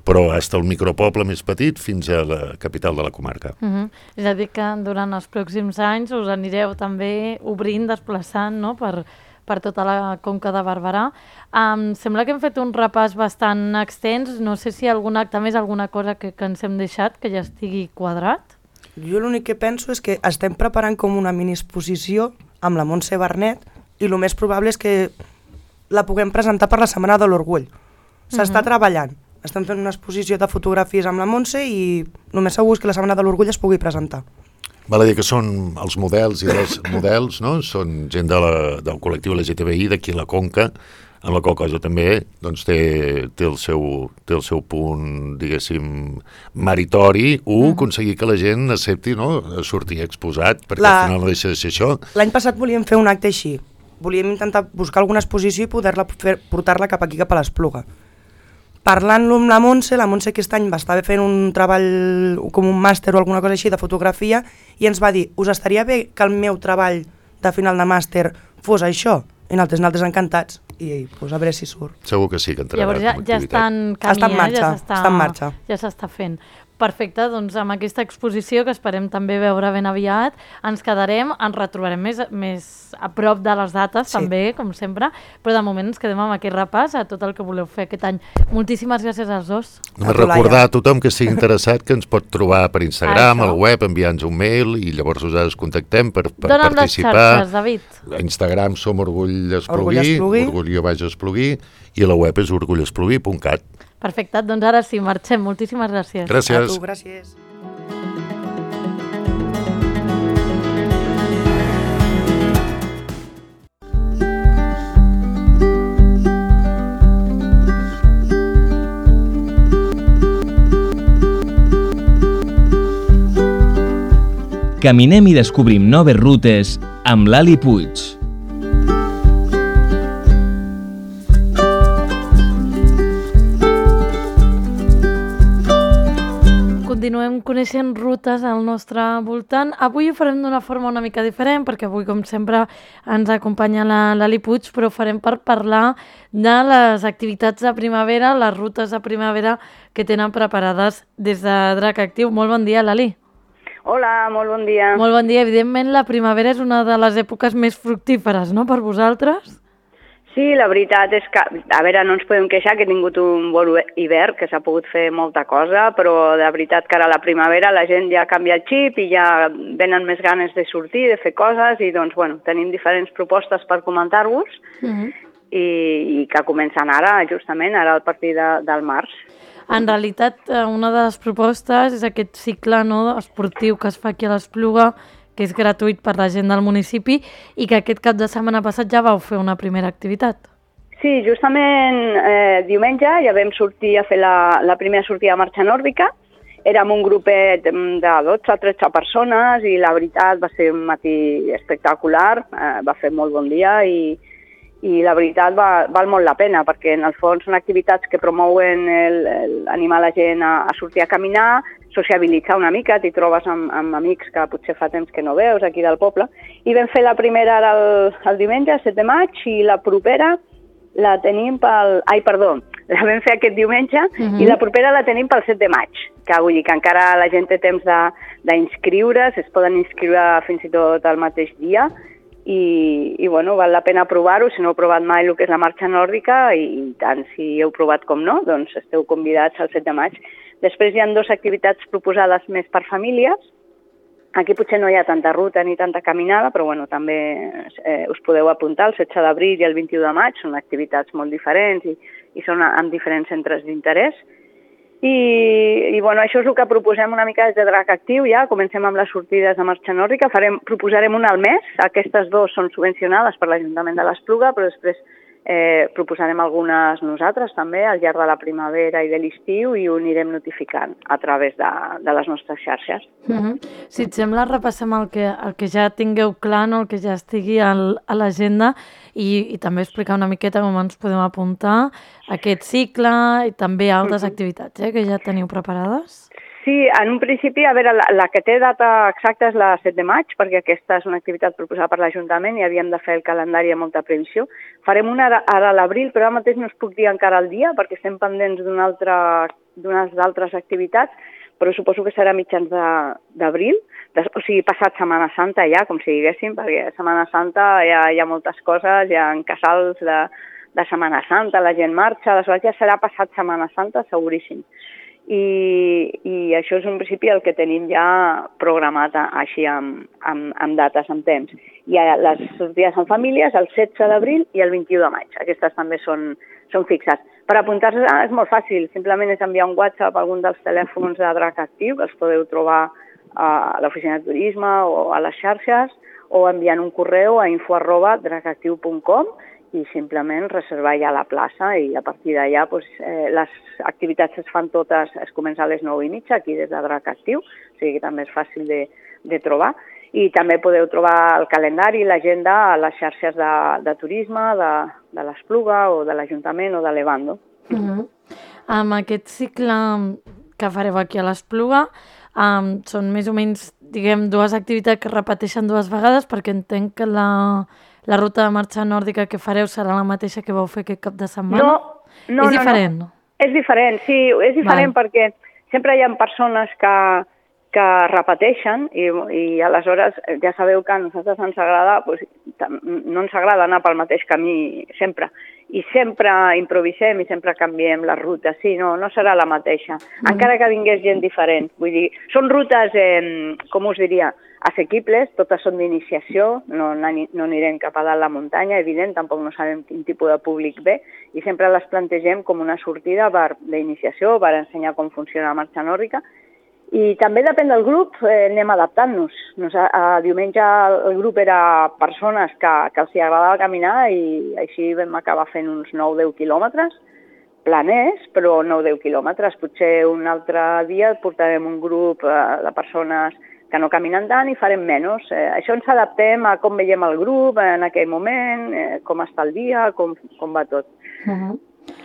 però fins al micropoble més petit fins a la capital de la comarca. Uh -huh. És a dir que durant els pròxims anys us anireu també obrint, desplaçant, no?, per, per tota la Conca de Barberà. Um, sembla que hem fet un repàs bastant extens, no sé si hi ha algun acte més, alguna cosa que, que ens hem deixat que ja estigui quadrat. Jo l'únic que penso és que estem preparant com una mini-exposició amb la Montse Bernet i el més probable és que la puguem presentar per la Setmana de l'Orgull. S'està uh-huh. treballant. Estem fent una exposició de fotografies amb la Montse i només segur és que la Setmana de l'Orgull es pugui presentar. Val a dir que són els models i els models, no? Són gent de la, del col·lectiu L G T B I d'aquí a la Conca, amb la qual cosa també doncs, té, té, el seu, té el seu punt, diguéssim, meritori, un, mm. aconseguir que la gent accepti, no?, sortir exposat, perquè la... al final no deixa de ser això. L'any passat volíem fer un acte així. Volíem intentar buscar alguna exposició i poder-la portar-la cap aquí, cap a l'Espluga. Parlant-lo amb la Montse, la Montse aquest any va estar fent un treball com un màster o alguna cosa així de fotografia i ens va dir, us estaria bé que el meu treball de final de màster fos això? I nosaltres, nosaltres encantats. I pues, a veure si surt. Segur que sí que entrarà. Llavors ja, ja està en camí, està en marxa, ja s'està està en marxa. Ja s'està fent. Perfecte, doncs amb aquesta exposició que esperem també veure ben aviat, ens quedarem, ens retrobarem més, més a prop de les dates Sí. també, com sempre, però de moment ens quedem amb aquest repàs a tot el que voleu fer aquest any. Moltíssimes gràcies als dos. Només A tu, Laia. recordar a tothom que estigui interessat que ens pot trobar per Instagram, Això. al web, enviar-nos un mail i llavors nosaltres contactem per, per Dóna'm les participar. xarxes, David. A Instagram som Orgull Orgull Espluguí, Espluguí. Orgull baix Espluguí, i a la web és orgull espluguí punt cat. Perfecte, doncs ara sí, marxem. Moltíssimes gràcies. A Gràcies. tu, gràcies. Caminem i descobrim noves rutes amb l'Ali Puig. Continuem coneixent rutes al nostre voltant. Avui ho farem d'una forma una mica diferent, perquè avui, com sempre, ens acompanya la l'Ali Puig, però ho farem per parlar de les activitats de primavera, les rutes de primavera que tenen preparades des de Drac Actiu. Molt bon dia, Lali. Hola, molt bon dia. Molt bon dia. Evidentment, la primavera és una de les èpoques més fructíferes, no?, per vosaltres? Sí, la veritat és que, a veure, no ens podem queixar que he tingut un bon hivern, que s'ha pogut fer molta cosa, però de veritat que ara a la primavera la gent ja canvia el xip i ja venen més ganes de sortir, de fer coses, i doncs, bueno, tenim diferents propostes per comentar-vos Uh-huh. i, i que comencen ara, justament, ara a partir de, del març. En realitat, eh, una de les propostes és aquest cicle, no, esportiu que es fa aquí a l'Espluga, que és gratuït per la gent del municipi i que aquest cap de setmana passat ja vau fer una primera activitat. Sí, justament eh, diumenge ja vam sortir a fer la, la primera sortida a marxa nòrdica érem un grupet de dotze a tretze persones i la veritat va ser un matí espectacular, eh, va fer molt bon dia i, i la veritat va, val molt la pena perquè en el fons són activitats que promouen el, el, animar la gent a, a sortir a caminar, sociabilitzar una mica, t'hi trobes amb, amb amics que potser fa temps que no veus aquí del poble. I vam fer la primera ara el, el diumenge, el set de maig, i la propera la tenim pel... Ai, perdó, la vam fer aquest diumenge uh-huh. i la propera la tenim pel set de maig, que vull dir que encara la gent té temps d'inscriure's, es poden inscriure fins i tot el mateix dia i, i bueno, val la pena provar-ho, si no heu provat mai el que és la marxa nòrdica i, i tant si heu provat com no, doncs esteu convidats al set de maig. Després hi ha dues activitats proposades més per famílies. Aquí potser no hi ha tanta ruta ni tanta caminada, però bueno, també eh, us podeu apuntar el setze d'abril i el vint-i-u de maig, són activitats molt diferents i, i són amb diferents centres d'interès. I, i bueno, això és el que proposem una mica des de Drac Actiu, ja comencem amb les sortides de marxa nòrdica, farem, proposarem una al mes, aquestes dues són subvencionades per l'Ajuntament de l'Espluga, però després eh, proposarem algunes nosaltres també al llarg de la primavera i de l'estiu i ho anirem notificant a través de, de les nostres xarxes. Mm-hmm. Si et sembla, repassem el que, el que ja tingueu clar, no? El que ja estigui al, a l'agenda i, i també explicar una miqueta com ens podem apuntar a aquest cicle i també altres mm-hmm. activitats eh, que ja teniu preparades. Sí, en un principi, a veure, la, la que té data exacta és la set de maig, perquè aquesta és una activitat proposada per l'Ajuntament i havíem de fer el calendari amb molta previsió. Farem una ara, ara a l'abril, però ara mateix no us puc dir encara el dia, perquè estem pendents d'unes altres activitats, però suposo que serà mitjans d'abril, o sigui, passat Setmana Santa ja, com si diguéssim, perquè a Setmana Santa hi ha, hi ha moltes coses, hi ha casals de, de Setmana Santa, la gent marxa, aleshores ja serà passat Setmana Santa, seguríssim. I, i això és en principi el que tenim ja programat així amb, amb, amb dates, amb temps. Hi ha les sortides en famílies el setze d'abril i el vint-i-u de maig. Aquestes també són, són fixes. Per apuntar-se és molt fàcil, simplement és enviar un WhatsApp a algun dels telèfons de Drac Actiu, que els podeu trobar a l'oficina de turisme o a les xarxes, o enviant un correu a info arroba dracactiu punt com i simplement reservar ja la plaça i a partir d'allà doncs, eh, les activitats es fan totes, es comença a les nou i mitja aquí des de Drac Actiu, o sigui que també és fàcil de, de trobar i també podeu trobar el calendari i l'agenda a les xarxes de, de turisme, de, de l'Espluga o de l'Ajuntament o de l'Evando. Uh-huh. Amb aquest cicle que fareu aquí a l'Espluga um, són més o menys, diguem, dues activitats que repeteixen dues vegades perquè entenc que la... La ruta de marxa nòrdica que fareu serà la mateixa que vau fer aquest cap de setmana? No, no, és diferent? No, no. És diferent, sí, és diferent Val. Perquè sempre hi ha persones que, que repeteixen i, i aleshores ja sabeu que a nosaltres ens agrada, doncs, no ens agrada anar pel mateix camí sempre. I sempre improvisem i sempre canviem les rutes. Sí, no, no serà la mateixa. Mm. Encara que vingués gent diferent. Vull dir, són rutes, eh, com us diria, assequibles, totes són d'iniciació, no, no anirem cap a dalt la muntanya, evident, tampoc no sabem quin tipus de públic ve, i sempre les plantegem com una sortida d'iniciació per ensenyar com funciona la marxa nòrdica. I també depèn del grup, eh, anem adaptant-nos. Nos, a, diumenge el grup era persones que, que els agradava caminar i així vam acabar fent uns nou deu quilòmetres, planers, però nou deu quilòmetres. Potser un altre dia portarem un grup eh, de persones que no caminen tant i farem menys. Eh, això ens adaptem a com veiem el grup en aquell moment, eh, com està el dia, com, com va tot. Uh-huh.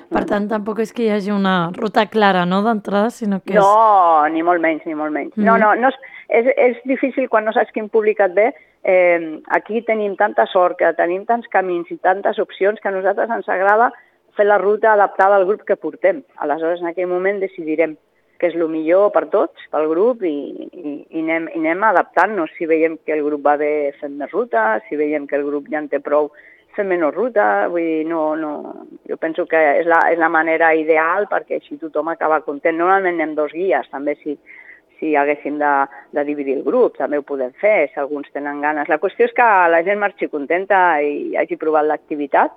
Per tant, tampoc és que hi hagi una ruta clara, no?, d'entrada, sinó que és... No, ni molt menys, ni molt menys. Uh-huh. No, no, no és, és, és difícil quan no saps quin públic et ve. Eh, aquí tenim tanta sort, que tenim tants camins i tantes opcions que a nosaltres ens agrada fer la ruta adaptada al grup que portem. Aleshores, en aquell moment decidirem que és el millor per tots, pel grup, i, i, i, anem, i anem adaptant-nos. Si veiem que el grup va bé, fem més ruta, si veiem que el grup ja en té prou, fem menys ruta. Vull dir, no, no... Jo penso que és la, és la manera ideal perquè així tothom acaba content. Normalment anem dos guies, també si, si haguéssim de, de dividir el grup, també ho podem fer, si alguns tenen ganes. La qüestió és que la gent marxi contenta i hagi provat l'activitat,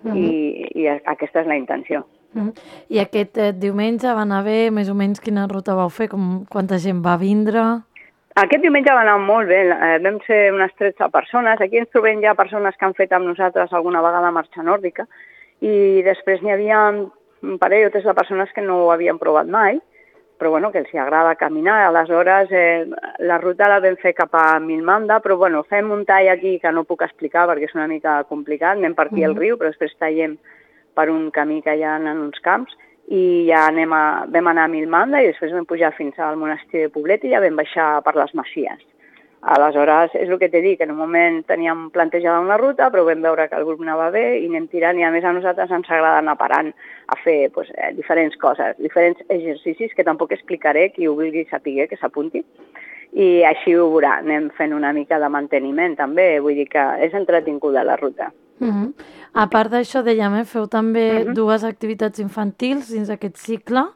uh-huh. i, i aquesta és la intenció. Uh-huh. I aquest eh, diumenge va anar bé, més o menys quina ruta vau fer, com, quanta gent va vindre? Aquest diumenge va anar molt bé, eh, vam ser unes tretze persones, aquí ens trobem ja persones que han fet amb nosaltres alguna vegada marxa nòrdica i després n'hi havia un parell o tres de persones que no ho havien provat mai, però bueno, que els agrada caminar. Aleshores, eh, la ruta la vam fer cap a Milmanda, però bueno, fem un tall aquí que no puc explicar perquè és una mica complicat, anem per aquí al riu, però després tallem per un camí que hi ha en uns camps, i ja anem a, vam anar a Milmanda i després vam pujar fins al monestir de Poblet i ja vam baixar per les Masies. Aleshores, és el que t'he dit, que en un moment teníem plantejada una ruta, però vam veure que el grup anava bé i anem tirant, i a més a nosaltres ens agrada anar parant a fer pues, eh, diferents coses, diferents exercicis que tampoc explicaré, qui ho vulgui saber que s'apunti, i així ho veurà, anem fent una mica de manteniment també, vull dir que és entretinguda la ruta. Uh-huh. A part d'això, dèiem, eh, feu també uh-huh. dues activitats infantils dins aquest cicle.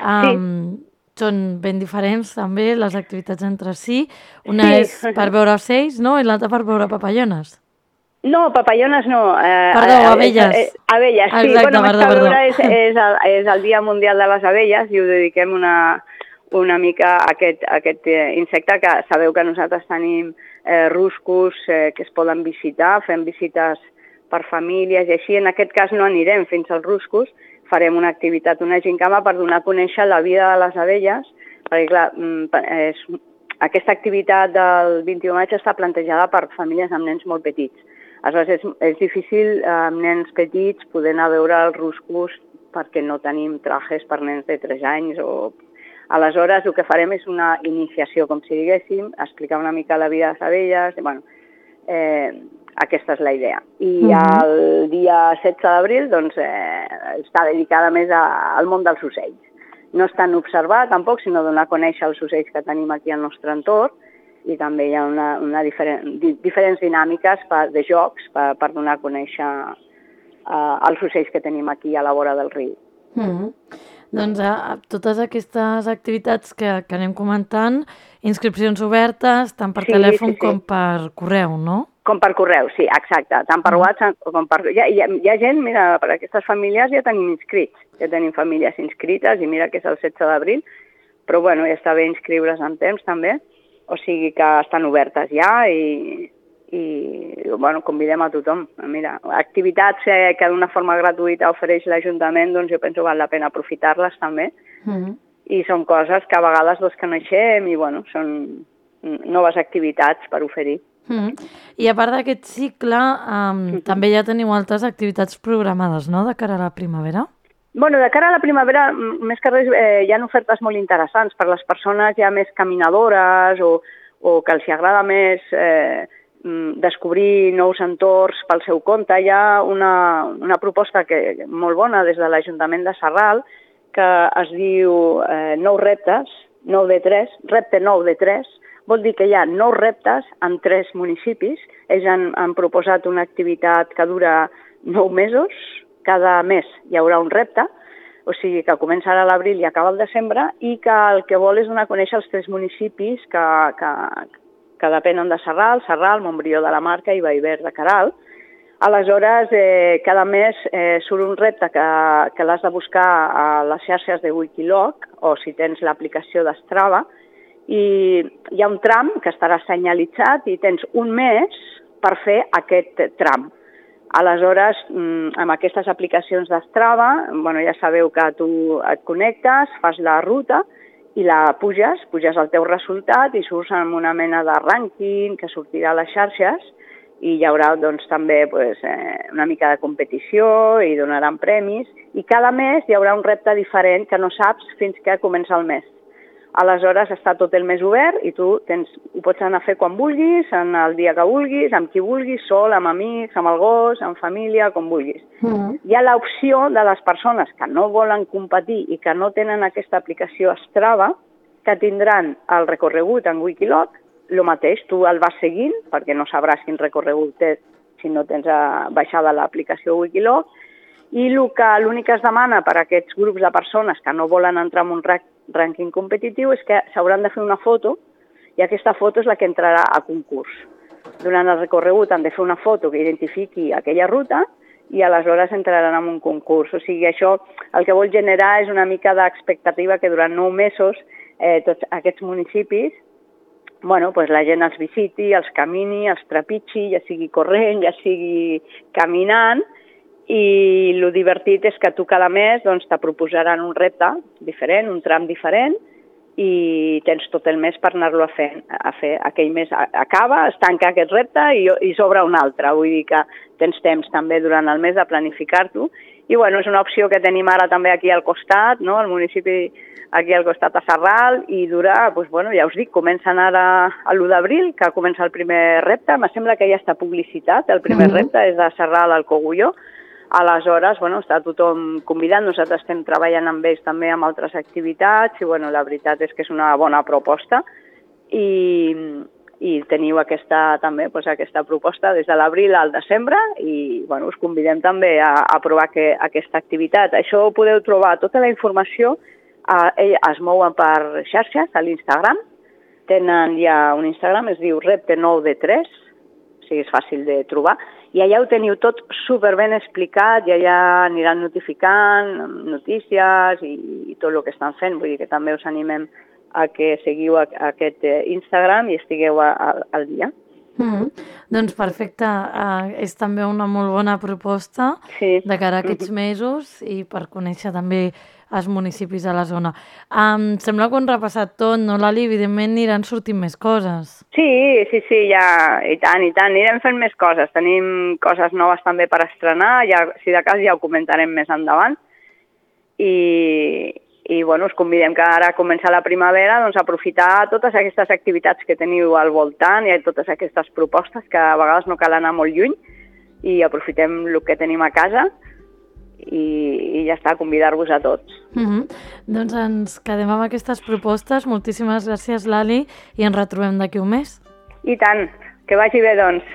Um, sí. Són ben diferents també les activitats entre si. Una sí. és per veure ocells, no? I l'altra per veure papallones. No, papallones no. Eh, perdó, abelles. Eh, eh, abelles, sí. Exacte, bueno, perdó, més que perdó. veure és, és, el, és el Dia Mundial de les Abelles i ho dediquem una, una mica a aquest, a aquest insecte que sabeu que nosaltres tenim eh, ruscos eh, que es poden visitar, fem visites per famílies i així. En aquest cas no anirem fins als ruscos, farem una activitat, una gincama per donar a conèixer la vida de les abelles, perquè clar, és, aquesta activitat del vint-i-u de maig està plantejada per famílies amb nens molt petits. Aleshores és, és difícil amb nens petits poder anar a veure els ruscos perquè no tenim trajes per nens de tres anys. O... Aleshores el que farem és una iniciació, com si diguéssim, explicar una mica la vida de les abelles, i, bueno, eh, aquesta és la idea. I uh-huh. el dia setze d'abril doncs, eh, està dedicada més a, al món dels ocells. No és tan observar tampoc, sinó donar a conèixer els ocells que tenim aquí al nostre entorn, i també hi ha una, una diferent, di, diferents dinàmiques per, de jocs per, per donar a conèixer uh, els ocells que tenim aquí a la vora del riu. Uh-huh. Doncs a, a totes aquestes activitats que, que anem comentant, inscripcions obertes, tant per sí, telèfon sí, sí. com per correu, no? Com per correu, sí, exacte. Tant per WhatsApp com per... Hi ha, hi ha, hi ha gent, mira, per aquestes famílies ja tenim inscrits, ja tenim famílies inscrites, i mira que és el setze d'abril, però bueno, ja està bé inscriure's en temps també, o sigui que estan obertes ja i, i bueno, convidem a tothom. Mira, activitats eh, que d'una forma gratuïta ofereix l'Ajuntament, doncs jo penso que val la pena aprofitar-les també, mm-hmm. i són coses que a vegades doncs coneixem i bueno, són noves activitats per oferir. Mm. I a part d'aquest cicle, um, mm-hmm. també ja teniu altres activitats programades, no?, de cara a la primavera? Bueno, de cara a la primavera, més que res, eh, hi ha ofertes molt interessants per les persones ja més caminadores o, o que els agrada més eh, descobrir nous entorns pel seu compte. Hi ha una, una proposta que, molt bona des de l'Ajuntament de Sarral que es diu eh, Nou reptes, nou de tres, repte nou de tres, vol dir que hi ha nou reptes en tres municipis. Ells han, han proposat una activitat que dura nou mesos, cada mes hi haurà un repte, o sigui que comença ara a l'abril i acaba al desembre, i que el que vol és donar a conèixer els tres municipis que, que, que depenen de Sarral, Sarral, Montbrió de la Marca i Vallver de Queralt. Aleshores, eh, cada mes eh, surt un repte que, que l'has de buscar a les xarxes de Wikiloc, o si tens l'aplicació d'Strava, i hi ha un tram que estarà senyalitzat i tens un mes per fer aquest tram. Aleshores, amb aquestes aplicacions d'Strava, bueno, ja sabeu que tu et connectes, fas la ruta i la puges, puges el teu resultat i surts amb una mena de rànquing que sortirà a les xarxes i hi haurà doncs, també pues, eh, una mica de competició i donaran premis, i cada mes hi haurà un repte diferent que no saps fins que comença el mes. Aleshores està tot el mes obert i tu tens, ho pots anar a fer quan vulguis, en el dia que vulguis, amb qui vulguis, sol, amb amics, amb el gos, amb família, com vulguis. Mm. Hi ha l'opció de les persones que no volen competir i que no tenen aquesta aplicació Strava, que tindran el recorregut en Wikiloc, el mateix, tu el vas seguint, perquè no sabràs quin recorregut té si no tens baixada l'aplicació Wikiloc, i l'únic que es demana per a aquests grups de persones que no volen entrar en un rànquing competitiu és que s'hauran de fer una foto, i aquesta foto és la que entrarà a concurs. Durant el recorregut han de fer una foto que identifiqui aquella ruta i aleshores entraran en un concurs. O sigui, això el que vol generar és una mica d'expectativa que durant nou mesos eh, tots aquests municipis, bueno, pues la gent els visiti, els camini, els trepitgi, ja sigui corrent, ja sigui caminant, i el divertit és que tu cada mes doncs, te proposaran un repte diferent, un tram diferent, i tens tot el mes per anar-lo a fer. A fer. Aquell mes acaba, es tanca aquest repte i, i s'obre un altre. Vull dir que tens temps també durant el mes de planificar-t'ho. I bueno, és una opció que tenim ara també aquí al costat, no? Al municipi aquí al costat a Sarral, i dura, doncs, bueno, ja us dic, comencen ara a l'u d'abril, que comença el primer repte. Me sembla que ja està publicitat, el primer mm-hmm. repte és de Sarral al Cogulló. Aleshores, bueno, està tothom convidat, nosaltres estem treballant amb ells també amb altres activitats i bueno, la veritat és que és una bona proposta i, i teniu aquesta, també, doncs, aquesta proposta des de l'abril al desembre i bueno, us convidem també a, a provar que, aquesta activitat. Això ho podeu trobar, tota la informació, eh, es mouen per xarxes a l'Instagram, tenen ja un Instagram, es diu repte nou de tres, o sigui, és fàcil de trobar, i allà ho teniu tot superben explicat i allà aniran notificant notícies i, i tot el que estan fent. Vull dir que també us animem a que seguiu a, a aquest Instagram i estigueu a, a, al dia. Mm-hmm. Doncs perfecte, uh, és també una molt bona proposta sí. de cara a aquests mesos i per conèixer també els municipis a la zona. Um, sembla que ho hem repassat tot, no, Lali? Evidentment aniran sortint més coses. Sí, sí, sí, ja, i tant, i tant, anirem fent més coses. Tenim coses noves també per estrenar, ja, si de cas ja ho comentarem més endavant. I, i bueno, us convidem que ara comença la primavera, doncs aprofitar totes aquestes activitats que teniu al voltant i totes aquestes propostes que a vegades no cal anar molt lluny i aprofitem el que tenim a casa. I, i ja està, convidar-vos a tots. Mm-hmm. Doncs ens quedem amb aquestes propostes. Moltíssimes gràcies, Lali, i ens retrobem d'aquí un mes. I tant, que vagi bé, doncs.